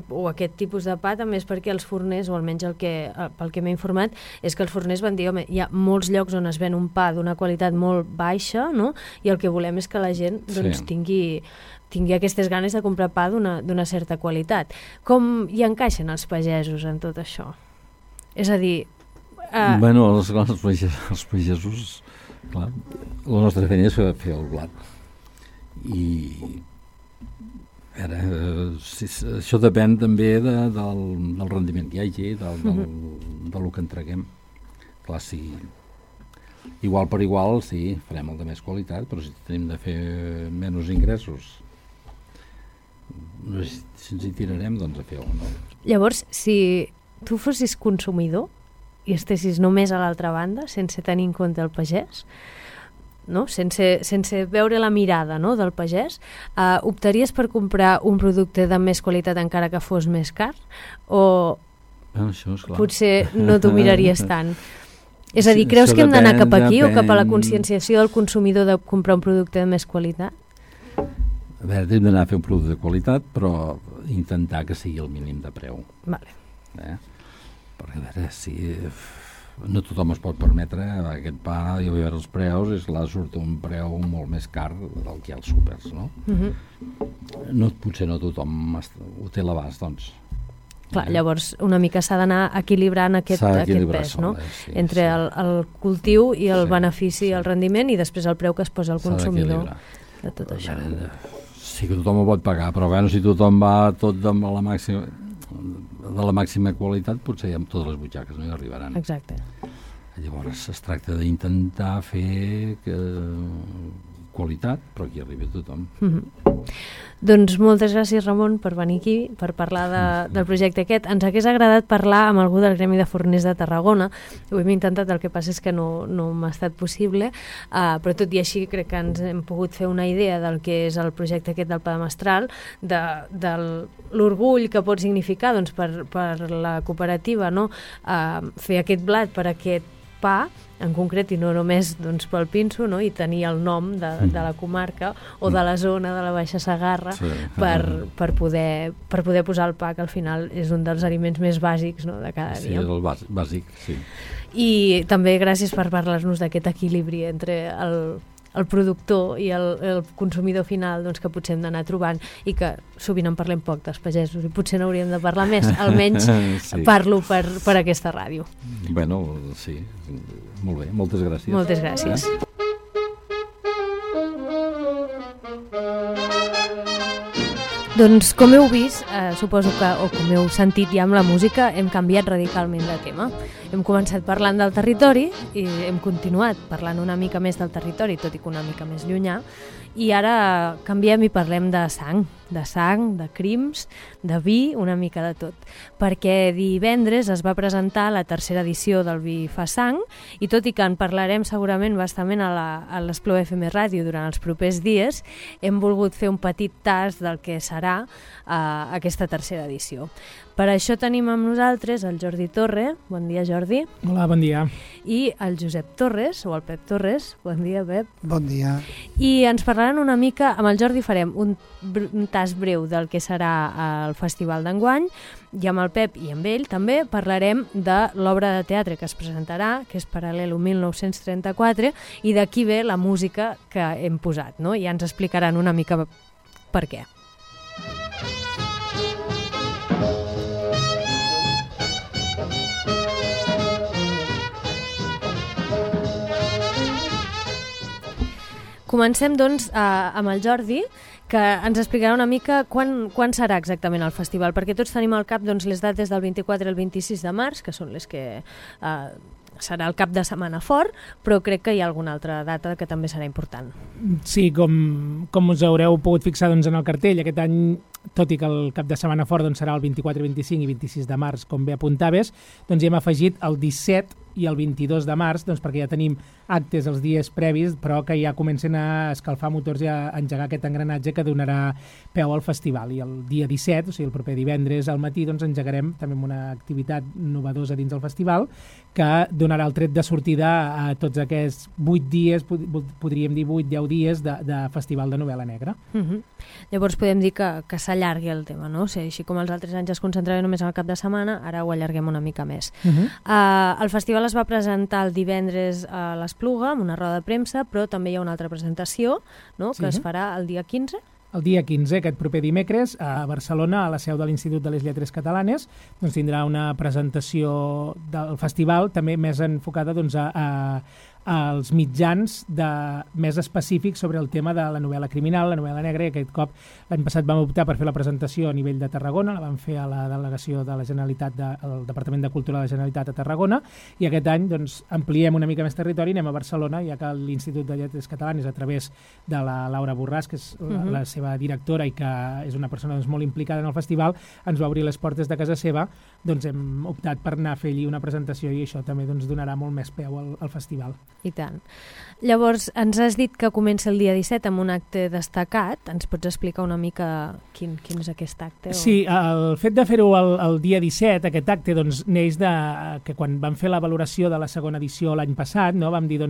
Speaker 1: o aquest tipus de pa també és perquè els forners, o almenys pel que m'he informat, és que els forners van dir, home, hi ha molts llocs on es ven un pa d'una qualitat molt baixa, no? I el que volem és que la gent doncs, tingui aquestes ganes de comprar pa d'una certa qualitat. Com hi encaixen els pagesos en tot això? És a dir...
Speaker 8: Bueno, els pagesos, clar, la nostra feina és fer el blat. I això depèn també del rendiment que hi hagi, del que entreguem. Clar, si igual per igual, sí, farem el de més qualitat, però si tenim de fer menys ingressos, si ens hi tirarem, doncs a fer-ho, no?
Speaker 1: Llavors, si tu fossis consumidor i estessis només a l'altra banda, sense tenir en compte el pagès, no? Sense veure la mirada, no? Del pagès, optaries per comprar un producte de més qualitat encara que fos més car? O
Speaker 8: això és clar.
Speaker 1: Potser no t'ho miraries tant? És a dir, creus que hem d'anar cap aquí o cap a la conscienciació del consumidor de comprar un producte de més qualitat?
Speaker 8: A veure, hem d'anar a fer un producte de qualitat, però intentar que sigui el mínim de preu.
Speaker 1: Vale.
Speaker 8: Perquè, a veure, si no tothom es pot permetre aquest pa, i a veure els preus, surt un preu molt més car del que hi ha als súpers, no? Potser no tothom ho té a l'abast, doncs.
Speaker 1: Clar, llavors una mica s'ha d'anar equilibrant aquest pes, no? Entre el cultiu i el benefici, el rendiment, i després el preu que es posa al consumidor de tot això.
Speaker 8: Sí que tothom ho pot pagar, però bueno, si tothom va tot de la màxima qualitat, potser amb totes les butxaques no hi arribaran.
Speaker 1: Exacte.
Speaker 8: Llavors es tracta d'intentar fer qualitat, però aquí arriba tothom.
Speaker 1: Doncs moltes gràcies, Ramon, per venir aquí, per parlar del projecte aquest. Ens hagués agradat parlar amb algú del Gremi de Forners de Tarragona. Ho hem intentat, el que passa és que no m'ha estat possible, però tot i així crec que ens hem pogut fer una idea del que és el projecte aquest del pa de mestral, de l'orgull que pot significar doncs, per la cooperativa, no? Fer aquest blat per aquest pa, en concret, i no només doncs, pel pinso, no? I tenir el nom de la comarca o de la zona de la Baixa Segarra, per poder posar el pa, que al final és un dels aliments més bàsics, no? De cada dia.
Speaker 8: Sí, és el bàsic, sí.
Speaker 1: I també gràcies per parlar-nos d'aquest equilibri entre el productor i el consumidor final, doncs, que potser hem d'anar trobant, i que sovint en parlem poc dels pagesos, i potser n'hauríem de parlar més, almenys parlo per aquesta ràdio.
Speaker 8: Bueno, sí, molt bé, moltes gràcies.
Speaker 1: Moltes gràcies. Doncs com heu vist, suposo que, o com heu sentit ja amb la música, hem canviat radicalment de tema. Hem començat parlant del territori i hem continuat parlant una mica més del territori, tot i que una mica més llunyà, i ara canviem i parlem de sang, de crims, de vi, una mica de tot. Perquè divendres es va presentar la tercera edició del Vi fa sang, i tot i que en parlarem segurament bastament a l'Espluga FM Ràdio durant els propers dies, hem volgut fer un petit tast del que serà aquesta tercera edició. Per això tenim amb nosaltres el Jordi Torre. Bon dia, Jordi.
Speaker 9: Hola, bon dia.
Speaker 1: I el Josep Torres, o el Pep Torres. Bon dia, Pep.
Speaker 10: Bon dia.
Speaker 1: I ens parlaran una mica, amb el Jordi farem un tast breu del que serà el festival d'enguany, i amb el Pep i amb ell també parlarem de l'obra de teatre que es presentarà, que és Paral·lelo 1934, i d'aquí ve la música que hem posat, no? I ja ens explicaran una mica per què. Comencem, doncs, amb el Jordi, que ens explicarà una mica quan serà exactament el festival, perquè tots tenim al cap les dates del 24 al 26 de març, que són les que serà el cap de setmana fort, però crec que hi ha alguna altra data que també serà important.
Speaker 9: Sí, com us haureu pogut fixar en el cartell, aquest any, tot i que el cap de setmana fort serà el 24, 25 i 26 de març, com bé apuntaves, doncs hi hem afegit el 17 i el 22 de març, perquè ja tenim actes els dies previs, però que ja comencen a escalfar motors i a engegar aquest engranatge que donarà peu al festival. I el dia 17, o sigui el proper divendres al matí, engegarem també una activitat novedosa dins del festival que donarà el tret de sortida a tots aquests 8 dies, podríem dir 8-10 dies de festival de novel·la negra.
Speaker 1: Llavors podem dir que s'allargui el tema, no? O sigui, així com els altres anys es concentrava només al cap de setmana, ara ho allarguem una mica més. El festival es va presentar el divendres a l'Espluga amb una roda de premsa, però també hi ha una altra presentació, no? Que es farà el dia 15.
Speaker 9: El dia 15, aquest proper dimecres, a Barcelona, a la seu de l'Institut de les Lletres Catalanes, tindrà una presentació del festival també més enfocada als mitjans més específics sobre el tema de la novel·la criminal, la novel·la negra, i aquest cop l'any passat vam optar per fer la presentació a nivell de Tarragona, la vam fer a la delegació de la Generalitat, al Departament de Cultura de la Generalitat a Tarragona, i aquest any ampliem una mica més territori, anem a Barcelona, ja que l'Institut de Lletres Catalanes, a través de la Laura Borràs, que és la seva directora i que és una persona molt implicada en el festival, ens va obrir les portes de casa seva, hem optat per anar a fer allí una presentació i això també donarà molt més peu al festival.
Speaker 1: I tant. Llavors, ens has dit que comença el dia 17 amb un acte destacat. Ens pots explicar una mica quin és aquest acte?
Speaker 9: Sí, el fet de fer-ho el dia 17, aquest acte, neix que quan vam fer la valoració de la segona edició l'any passat, vam dir,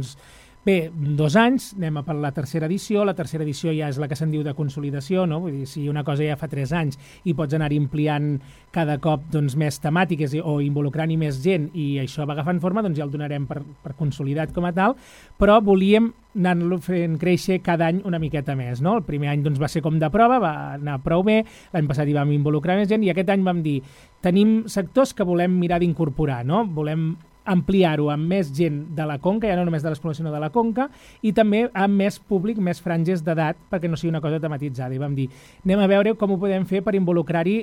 Speaker 9: bé, 2 anys, anem a per la tercera edició. La tercera edició ja és la que se'n diu de consolidació, no? Vull dir, si una cosa ja fa 3 anys i pots anar ampliant cada cop més temàtiques o involucrant-hi més gent i això va agafant forma, ja el donarem per consolidat com a tal, però volíem anar-lo fent créixer cada any una miqueta més, no? El primer any va ser com de prova, va anar prou bé, l'any passat hi vam involucrar més gent i aquest any vam dir, tenim sectors que volem mirar d'incorporar, no? Volem ampliar-ho amb més gent de la Conca, ja no només de l'Espluga, sinó de la Conca, i també amb més públic, més franges d'edat, perquè no sigui una cosa tematitzada. I vam dir, anem a veure com ho podem fer per involucrar-hi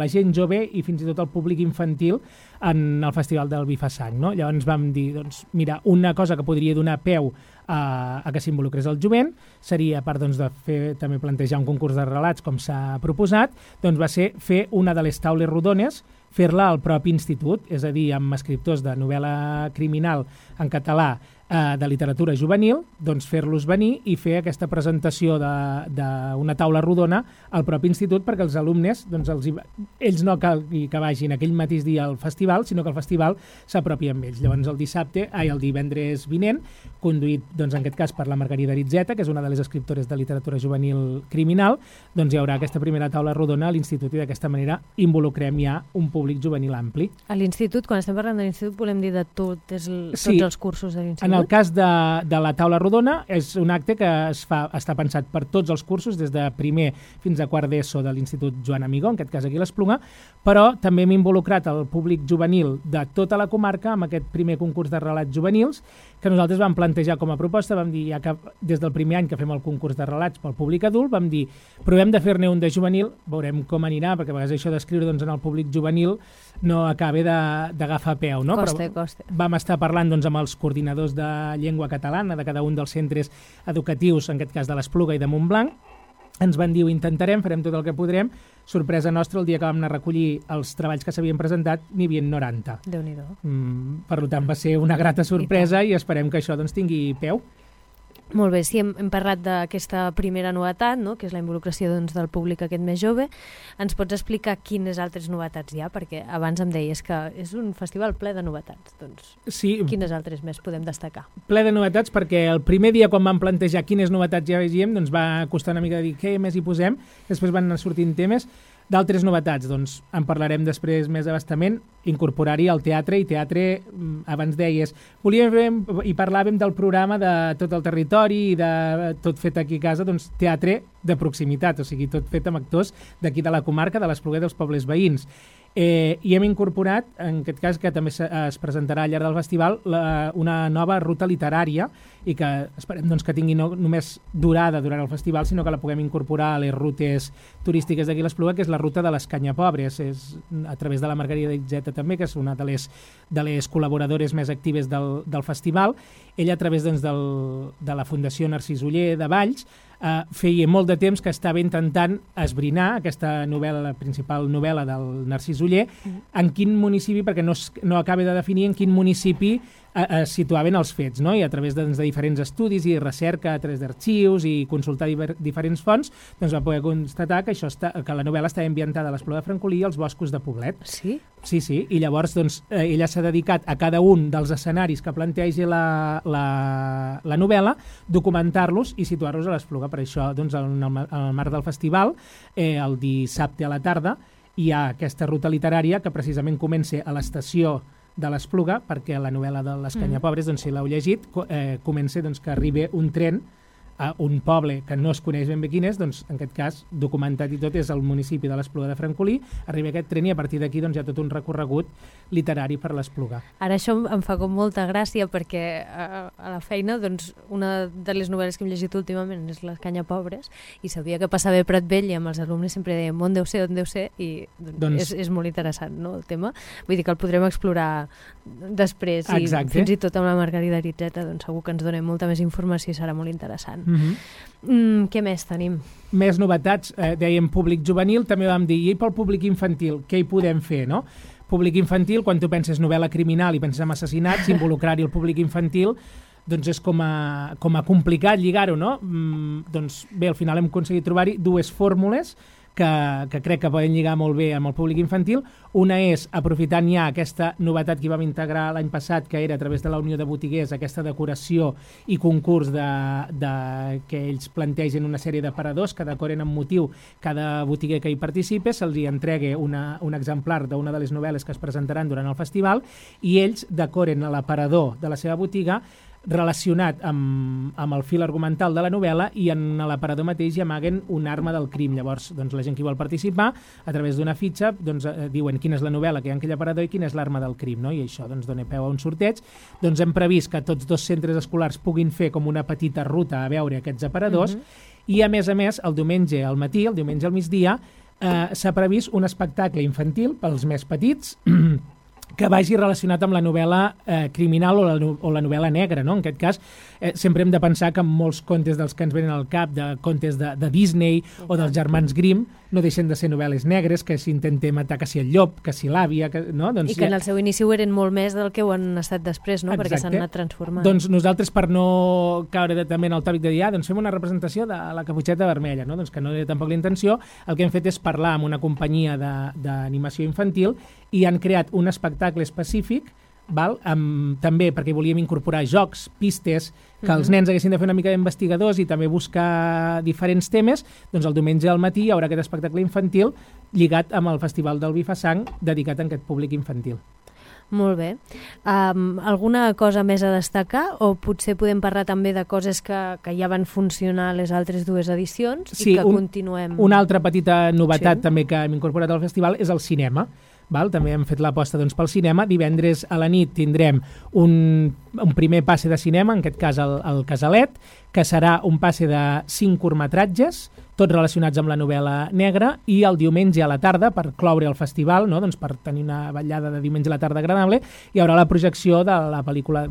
Speaker 9: la gent jove i fins i tot el públic infantil en el Festival del Vi fa sang, no? Llavors vam dir, mira, una cosa que podria donar peu a que s'involucrés el jovent seria, a part de fer, també plantejar un concurs de relats com s'ha proposat, va ser fer una de les taules rodones, fer-la al propi institut, és a dir, amb escriptors de novel·la criminal en català, de literatura juvenil, fer-los venir i fer aquesta presentació d'una taula rodona al propi institut perquè els alumnes, ells no cal que vagin aquell mateix dia al festival, sinó que el festival s'apropi amb ells. Llavors el divendres vinent, conduït en aquest cas per la Margarida Aritzeta, que és una de les escriptores de literatura juvenil criminal, hi haurà aquesta primera taula rodona a l'institut i d'aquesta manera involucrem ja un públic juvenil ampli.
Speaker 1: A l'institut, quan estem parlant de l'institut, volem dir de tots els cursos de l'institut?
Speaker 9: En el cas de la taula rodona, és un acte que està pensat per tots els cursos, des de primer fins a quart d'ESO de l'Institut Joan Amigó, en aquest cas aquí a l'Espluga, però també hem involucrat el públic juvenil de tota la comarca amb aquest primer concurs de relats juvenils, que nosaltres vam plantejar com a proposta, vam dir, ja que des del primer any que fem el concurs de relats pel públic adult, vam dir, provem de fer-ne un de juvenil, veurem com anirà, perquè a vegades això d'escriure doncs, en el públic juvenil no acaba d'agafar peu, no?
Speaker 1: Costa.
Speaker 9: Vam estar parlant doncs, amb els coordinadors de llengua catalana de cada un dels centres educatius, en aquest cas de l'Espluga i de Montblanc. Ens van dir, ho intentarem, farem tot el que podrem. Sorpresa nostra, el dia que vam anar a recollir els treballs que s'havien presentat, n'hi havia 90.
Speaker 1: Déu-n'hi-do.
Speaker 9: Per tant, va ser una grata sorpresa i esperem que això doncs, tingui peu.
Speaker 1: Molt bé, sí, hem parlat d'aquesta primera novetat, no?, que és la involucració doncs, del públic aquest més jove. Ens pots explicar quines altres novetats hi ha? Perquè abans em deies que és un festival ple de novetats. Doncs,
Speaker 9: sí,
Speaker 1: quines altres més podem destacar?
Speaker 9: Ple de novetats perquè el primer dia quan vam plantejar quines novetats ja vegíem doncs va costar una mica de dir què més hi posem, després van anar sortint temes. D'altres novetats, doncs en parlarem després més abastament, incorporar-hi el teatre, i teatre, abans deies, volíem fer, i parlàvem del programa de tot el territori i de tot fet aquí a casa, doncs teatre de proximitat, o sigui, tot fet amb actors d'aquí de la comarca, de l'Espluga i dels pobles veïns. I hem incorporat, en aquest cas, que també es presentarà al llarg del festival, una nova ruta literària i que esperem doncs, que tingui no només durada durant el festival, sinó que la puguem incorporar a les rutes turístiques d'aquí a l'Espluga, que és la ruta de les Canyapobres, és a través de la Margarida Itzeta també, que és una de les col·laboradores més actives del festival. Ella, a través doncs, de la Fundació Narcís Oller de Valls, feia molt de temps que estava intentant esbrinar aquesta novel·la, la principal novel·la del Narcís Oller, en quin municipi, perquè no acaba de definir en quin municipi es situaven els fets, no? I a través de diferents estudis i recerca, a través d'arxius i consultar diferents fonts, doncs va poder constatar que, que la novel·la estava ambientada a l'Espluga de Francolí i als boscos de Poblet.
Speaker 1: Sí?
Speaker 9: Sí, i llavors doncs, ella s'ha dedicat a cada un dels escenaris que planteja la novel·la, documentar-los i situar-los a l'Espluga. Per això, doncs, en el marc del festival, el dissabte a la tarda, hi ha aquesta ruta literària que precisament comença a l'estació de l'Espluga, perquè la novel·la de les Canyapobres, doncs, si l'heu llegit, comença doncs, que arriba un tren a un poble que no es coneix ben bé quin és, doncs, en aquest cas, documentat i tot, és el municipi de l'Espluga de Francolí, arriba aquest tren i a partir d'aquí doncs, hi ha tot un recorregut literari per l'Espluga.
Speaker 1: Ara això em fa com molta gràcia perquè a la feina doncs, una de les novel·les que hem llegit últimament és Les Canyapobres i sabia que passava a Pratvell i amb els alumnes sempre dèiem on deu ser, i doncs, és molt interessant, no, el tema. Vull dir que el podrem explorar després i fins i tot amb la Margarida Itzeta doncs segur que ens donem molta més informació i serà molt interessant. Què més tenim?
Speaker 9: Més novetats, dèiem públic juvenil, també vam dir, i pel públic infantil, què hi podem fer, no? Públic infantil, quan tu penses novel·la criminal i penses en assassinats, involucrar-hi el públic infantil, doncs és com a complicat lligar-ho, no? Doncs bé, al final hem aconseguit trobar-hi dues fórmules que crec que poden lligar molt bé amb el públic infantil. Una és, aprofitant ja aquesta novetat que vam integrar l'any passat, que era a través de la Unió de Botiguers, aquesta decoració i concurs que ells plantegen una sèrie d'aparadors que decoren amb motiu cada botiguer que hi participa, se'ls hi entrega un exemplar d'una de les novel·les que es presentaran durant el festival i ells decoren l'aparador de la seva botiga relacionat amb el fil argumental de la novel·la i en l'aparador mateix hi amaguen una arma del crim. Llavors, doncs, la gent que vol participar, a través d'una fitxa, doncs, diuen quina és la novel·la que hi ha en aquell aparador i quina és l'arma del crim, no? I això doncs, dona peu a un sorteig. Doncs hem previst que tots dos centres escolars puguin fer com una petita ruta a veure aquests aparadors i, a més, el diumenge al matí, el diumenge al migdia, s'ha previst un espectacle infantil pels més petits que vagi relacionat amb la novel·la criminal o la novel·la negra, no? En aquest cas, sempre hem de pensar que molts contes dels que ens venen al cap, de contes de Disney o dels germans Grimm, no deixen de ser novel·les negres, que s'intenta matar que si el llop, que si l'àvia, no? Doncs
Speaker 1: i que en el seu inici ho eren molt més del que ho han estat després, no? Exacte. Perquè s'han anat transformant.
Speaker 9: Doncs nosaltres, per no caure també en el tòpic de dir, doncs fem una representació de la Caputxeta Vermella, no? Doncs que no era tampoc la intenció, el que hem fet és parlar amb una companyia d'animació infantil i han creat un espectacle específic, també perquè volíem incorporar jocs, pistes, que els nens haguessin de fer una mica d'investigadors i també buscar diferents temes, doncs el diumenge al matí hi haurà aquest espectacle infantil lligat amb el Festival del Vi fa Sang dedicat a aquest públic infantil.
Speaker 1: Molt bé. Alguna cosa més a destacar o potser podem parlar també de coses que ja van funcionar les altres dues edicions i que continuem...
Speaker 9: Una altra petita novetat també que hem incorporat al festival és el cinema. També hem fet l'aposta doncs, pel cinema. Divendres a la nit tindrem un primer passe de cinema, en aquest cas el Casalet, que serà un passe de 5 curtmetratges, tots relacionats amb la novel·la negra, i el diumenge a la tarda, per cloure el festival, no? Doncs per tenir una vetllada de diumenge a la tarda agradable, hi haurà la projecció de la pel·lícula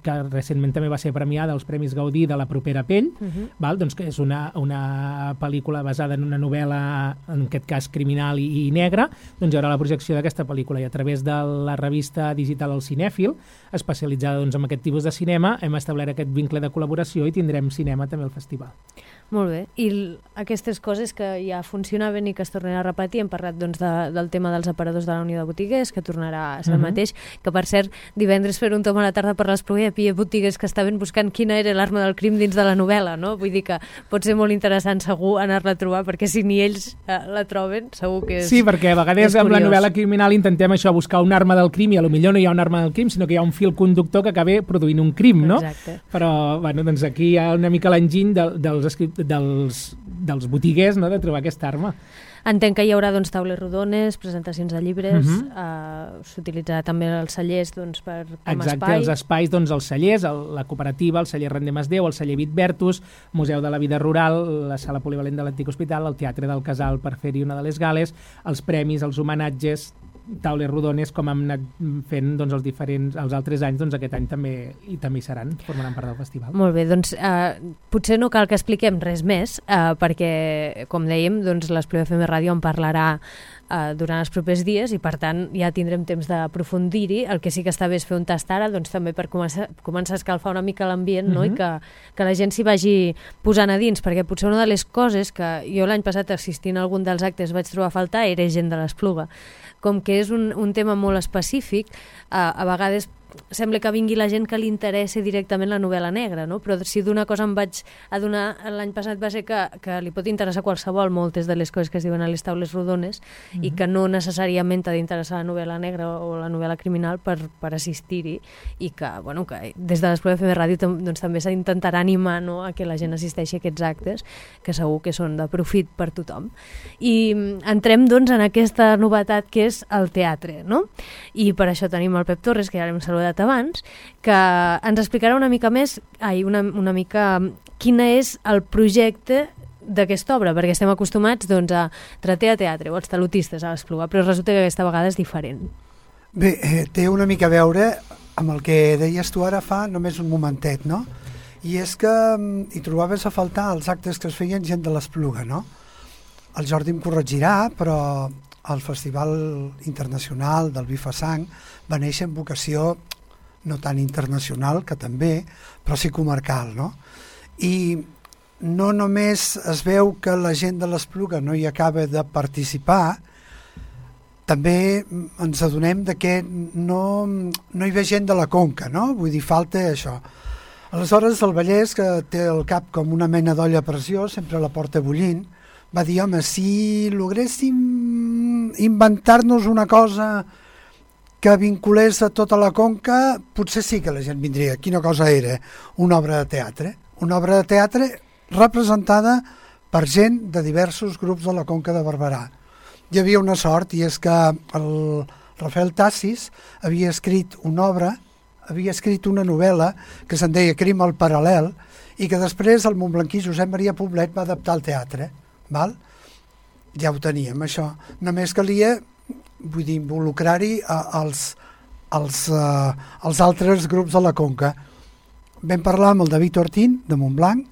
Speaker 9: que recentment també va ser premiada als Premis Gaudí, de La propera pell, val? Doncs que és una pel·lícula basada en una novel·la, en aquest cas criminal i negra. Doncs hi haurà la projecció d'aquesta pel·lícula, i a través de la revista digital El Cinèfil, especialitzada doncs, en aquest tipus de cinema, hem establert aquest vincle de col·laboració i tindrem cinema també al festival.
Speaker 1: Molt bé. I aquestes coses que ja funcionaven i que es tornaran a repetir, hem parlat doncs, del tema dels aparadors de la Unió de Botiguers, que tornarà a ser el mateix, que per cert, divendres fer un tom a la tarda per l'Espluga hi havia botiguers que estaven buscant quina era l'arma del crim dins de la novel·la, no? Vull dir que pot ser molt interessant segur anar-la a trobar, perquè si ni ells la troben, segur que és...
Speaker 9: Sí, perquè a vegades amb la novel·la criminal intentem això, buscar una arma del crim, i potser no hi ha una arma del crim, sinó que hi ha un fil conductor que acaba produint un crim, no?
Speaker 1: Exacte.
Speaker 9: Però, bueno, doncs aquí hi ha una mica l'enginy dels botiguers, no?, de trobar aquesta arma.
Speaker 1: Entenc que hi haurà doncs, taules rodones, presentacions de llibres, s'utilitzarà també els cellers doncs, com a
Speaker 9: Exacte,
Speaker 1: espai.
Speaker 9: els espais, doncs, els cellers, la cooperativa, el celler Rendem es Déu, el celler Vitbertus, Museu de la Vida Rural, la sala polivalent de l'Antic Hospital, el Teatre del Casal per fer-hi una de les gales, els premis, els homenatges, taules rodones, com hem anat fent doncs, els altres anys, doncs aquest any també hi seran, formaran part del festival.
Speaker 1: Molt bé, doncs potser no cal que expliquem res més, perquè, com dèiem, doncs, l'Espluga FM Ràdio en parlarà durant els propers dies, i per tant ja tindrem temps d'aprofundir-hi. El que sí que està bé és fer un tast ara, doncs també per començar a escalfar una mica l'ambient, no? I que la gent s'hi vagi posant a dins, perquè potser una de les coses que jo l'any passat assistint a algun dels actes vaig trobar a faltar era gent de l'Espluga. Com que és un tema molt específic, a vegades sembla que vingui la gent que li interessa directament la novel·la negra, no? Però si d'una cosa em vaig adonar l'any passat va ser que li pot interessar qualsevol moltes de les coses que es diuen a les taules rodones, i que no necessàriament t'ha d'interessar la novel·la negra o la novel·la criminal per assistir-hi, i que, bueno, que des de l'Espluga FM Ràdio doncs, també s'intentarà animar, no?, a que la gent assisteixi a aquests actes, que segur que són de profit per tothom. I entrem doncs en aquesta novetat que és el teatre, no? I per això tenim el Pep Torres, que ja l'hem saludat abans, que ens explicarà una mica més, una mica quin és el projecte d'aquesta obra, perquè estem acostumats doncs, a trater a teatre o als talutistes a l'Espluga, però resulta que aquesta vegada és diferent.
Speaker 10: Bé, té una mica a veure amb el que deies tu ara fa només un momentet, no? I és que hi trobaves a faltar els actes que es feien gent de l'Espluga, no? El Jordi em corregirà, però el Festival Internacional del Vi fa Sang va néixer amb vocació no tan internacional, que també, però sí comarcal, no? I no només es veu que la gent de l'Espluga no hi acaba de participar, també ens adonem de que no hi ve gent de la Conca, no? Vull dir, falta això. Aleshores, el Vallès, que té el cap com una mena d'olla a pressió, sempre la porta bullint, va dir, home, si logréssim inventar-nos una cosa que vinculés a tota la Conca, potser sí que la gent vindria. Quina cosa era? Una obra de teatre. Una obra de teatre representada per gent de diversos grups de la Conca de Barberà. Hi havia una sort, i és que el Rafael Tassis havia escrit una obra, havia escrit una novel·la que se'n deia Crim al paral·lel, i que després el montblanquí Josep Maria Poblet va adaptar al teatre. Val? Ja ho teníem, això. Només calia, vull dir, involucrar-hi els altres grups de la Conca. Vam parlar amb el David Ortín, de Montblanc,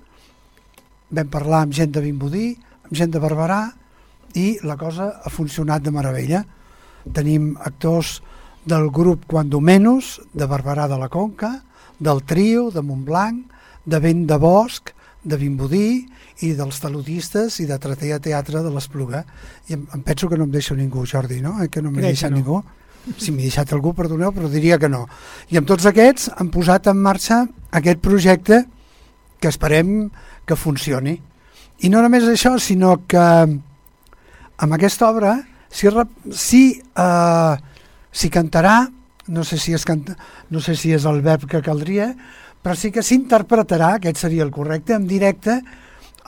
Speaker 10: vam parlar amb gent de Vimbodí, amb gent de Barberà, i la cosa ha funcionat de meravella. Tenim actors del grup Quando Menos, de Barberà de la Conca, del Trio, de Montblanc, de Vent de Bosc, de Vimbodí, i dels talutistes i de Tratea Teatre de l'Espluga. I em penso que no em deixo ningú, Jordi, no? Que no m'he deixat ningú. Si m'he deixat algú, perdoneu, però diria que no. I amb tots aquests han posat en marxa aquest projecte que esperem que funcioni. I no només això, sinó que amb aquesta obra si cantarà, no sé si és el verb que caldria, però sí que s'interpretarà, aquest seria el correcte, en directe,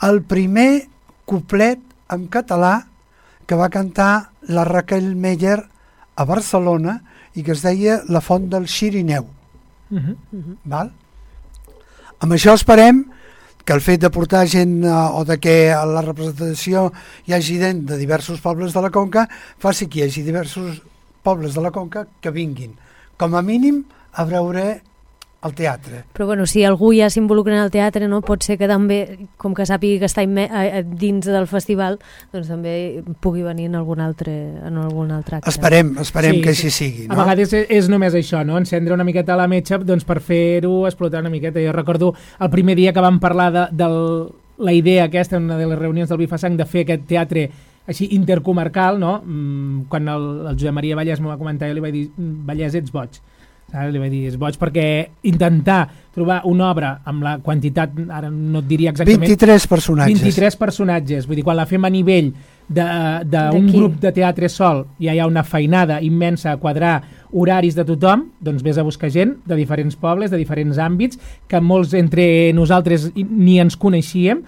Speaker 10: el primer couplet en català que va cantar la Raquel Meller a Barcelona i que es deia La font del Xirineu. Val? Amb això esperem que el fet de portar gent o de que a la representació hi hagi gent de diversos pobles de la Conca faci que hi hagi diversos pobles de la Conca que vinguin, com a mínim, a veure el teatre.
Speaker 1: Però bueno, si algú ja s'involucra en el teatre, no, pot ser que també, com que sàpigui que està dins del festival, doncs també pugui venir en algun altre acte.
Speaker 10: Esperem que així sigui. No?
Speaker 9: A vegades és només això, no? Encendre una miqueta la metxa doncs, per fer-ho explotar una miqueta. Jo recordo el primer dia que vam parlar de la idea aquesta, en una de les reunions del Bifasang, de fer aquest teatre així intercomarcal, no? Quan el Josep Maria Vallès m'ho va comentar, jo li vaig dir, Vallès, ets boig. Li vaig dir, és boig, perquè intentar trobar una obra amb la quantitat, ara no et diria exactament...
Speaker 10: 23 personatges.
Speaker 9: 23 personatges, vull dir, quan la fem a nivell d'un grup de teatre sol, ja hi ha una feinada immensa a quadrar horaris de tothom, doncs vés a buscar gent de diferents pobles, de diferents àmbits, que molts entre nosaltres ni ens coneixíem.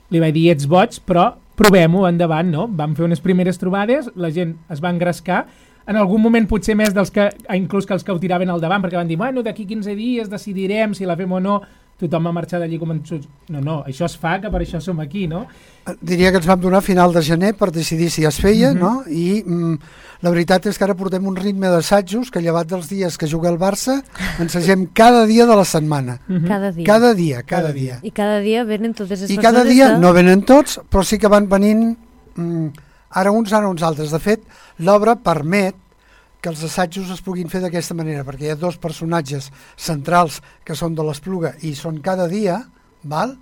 Speaker 9: Li vaig dir, ets boig, però provem-ho endavant, no? Vam fer unes primeres trobades, la gent es va engrescar, en algun moment potser més dels que, inclús que els que ho tiraven al davant, perquè van dir, bueno, d'aquí 15 dies decidirem si la fem o no, tothom va marxar d'allí convençuts. No, això es fa, que per això som aquí, no?
Speaker 10: Diria que ens vam donar a final de gener per decidir si es feia, no? I la veritat és que ara portem un ritme d'assajos que, llevat dels dies que juga el Barça, ensagem cada dia de la setmana.
Speaker 1: Cada dia.
Speaker 10: Cada dia.
Speaker 1: I cada dia venen totes les persones...
Speaker 10: I cada dia no venen tots, però sí que van venint ara uns altres. De fet, l'obra permet que els assajos es puguin fer d'aquesta manera, perquè hi ha dos personatges centrals que són de l'Espluga i són cada dia, val?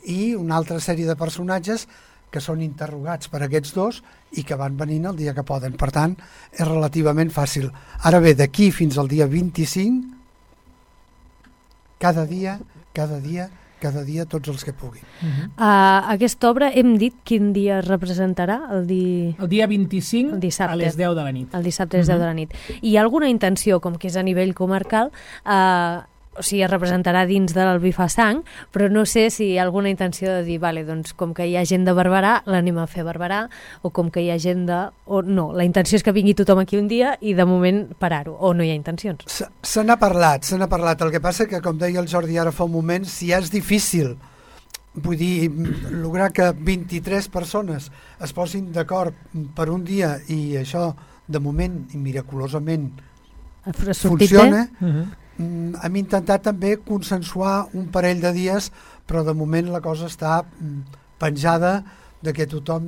Speaker 10: I una altra sèrie de personatges que són interrogats per aquests dos i que van venint el dia que poden. Per tant, és relativament fàcil. Ara bé, d'aquí fins al dia 25, cada dia, tots els que puguin.
Speaker 1: Aquesta obra hem dit quin dia es representarà? El
Speaker 9: dia 25 a les 10 de la nit.
Speaker 1: El dissabte a les 10 de la nit. I hi ha alguna intenció, com que és a nivell comarcal, o sigui, es representarà dins del Bifasang, però no sé si hi ha alguna intenció de dir, vale, doncs com que hi ha gent de Barberà, l'anem a fer a Barberà, o com que hi ha gent de... O no, la intenció és que vingui tothom aquí un dia i de moment parar-ho, o no hi ha intencions.
Speaker 10: Se n'ha parlat. El que passa que, com deia el Jordi ara fa un moment, si és difícil, vull dir, lograr que 23 persones es posin d'acord per un dia i això, de moment, i miraculosament, funciona... Hem intentat també consensuar un parell de dies, però de moment la cosa està penjada de que tothom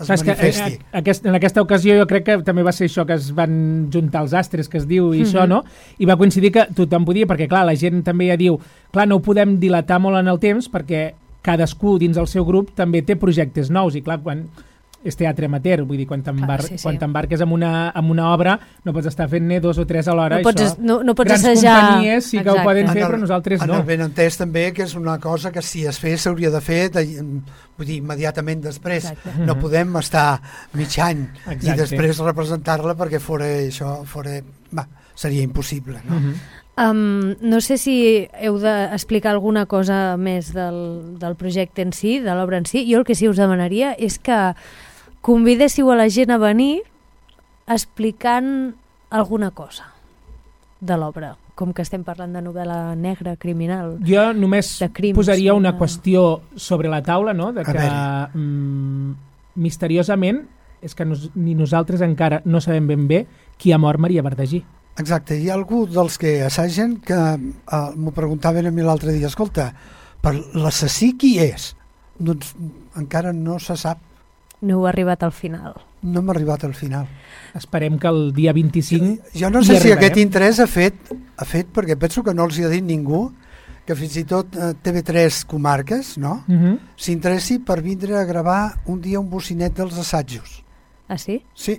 Speaker 10: es manifesti.
Speaker 9: En aquesta ocasió jo crec que també va ser això, que es van juntar els astres, que es diu, i això, no? I va coincidir que tothom podia, perquè clar, la gent també ja diu, clar, no ho podem dilatar molt en el temps, perquè cadascú dins el seu grup també té projectes nous, i clar, quan... és teatre amateur, vull dir, quan t'embarques amb una obra no pots estar fent-ne 2 o 3 alhora.
Speaker 1: No pots
Speaker 9: grans
Speaker 1: assajar...
Speaker 9: companyies sí que ho poden fer, però nosaltres no.
Speaker 10: En el benentès també, que és una cosa que si es fes s'hauria de fer vull dir, immediatament després. No podem estar mig any i després representar-la perquè seria impossible, no?
Speaker 1: No sé si heu d'explicar alguna cosa més del projecte en si, de l'obra en si. Jo el que sí us demanaria és que convidéssiu a la gent a venir explicant alguna cosa de l'obra, com que estem parlant de novel·la negra, criminal.
Speaker 9: Jo només posaria una qüestió sobre la taula, no? De que misteriosament és que ni nosaltres encara no sabem ben bé qui ha mort Maria Verdagí.
Speaker 10: Exacte, hi ha algú dels que assagen que m'ho preguntaven a mi l'altre dia, escolta, per l'assassí qui és? Doncs encara no se sap.
Speaker 1: No heu arribat al final.
Speaker 10: No hem arribat al final.
Speaker 9: Esperem que el dia 25...
Speaker 10: Jo no sé si aquest interès ha fet, perquè penso que no els hi ha dit ningú, que fins i tot TV3 Comarques, no? S'interessi per vindre a gravar un dia un bocinet dels assajos.
Speaker 1: Ah, sí?
Speaker 10: Sí.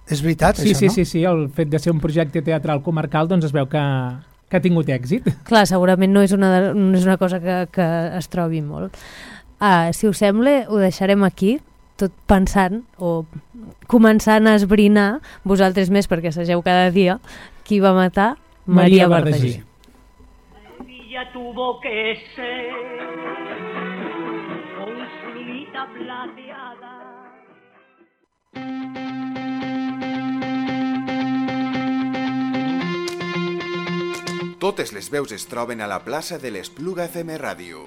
Speaker 10: És veritat, això, no?
Speaker 9: Sí, el fet de ser un projecte teatral comarcal doncs es veu que ha tingut èxit.
Speaker 1: Clar, segurament no és una cosa que es trobi molt. Si us sembla, ho deixarem aquí, tot pensant o començant a esbrinar, vosaltres més perquè assageu cada dia, qui va matar Maria Verdagí.
Speaker 11: Ella tuvo que ser con su lunita plateada.
Speaker 2: Totes les veus es troben a la plaça de l'Espluga FM Ràdio.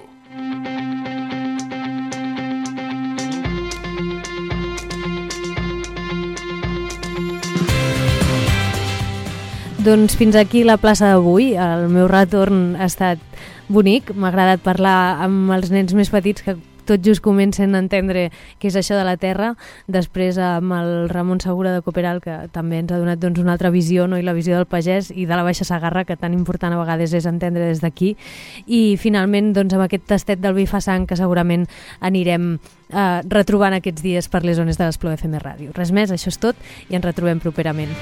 Speaker 1: Doncs fins aquí la plaça d'avui. El meu retorn ha estat bonic. M'ha agradat parlar amb els nens més petits que tot just comencen a entendre què és això de la terra. Després amb el Ramon Segura de Cooperal, que també ens ha donat doncs, una altra visió, no? I la visió del pagès i de la Baixa Segarra, que tan important a vegades és entendre des d'aquí. I finalment doncs, amb aquest tastet del vi fa sang que segurament anirem retrobant aquests dies per les zones de l'Espluga FM Ràdio. Res més, això és tot i ens retrobem properament.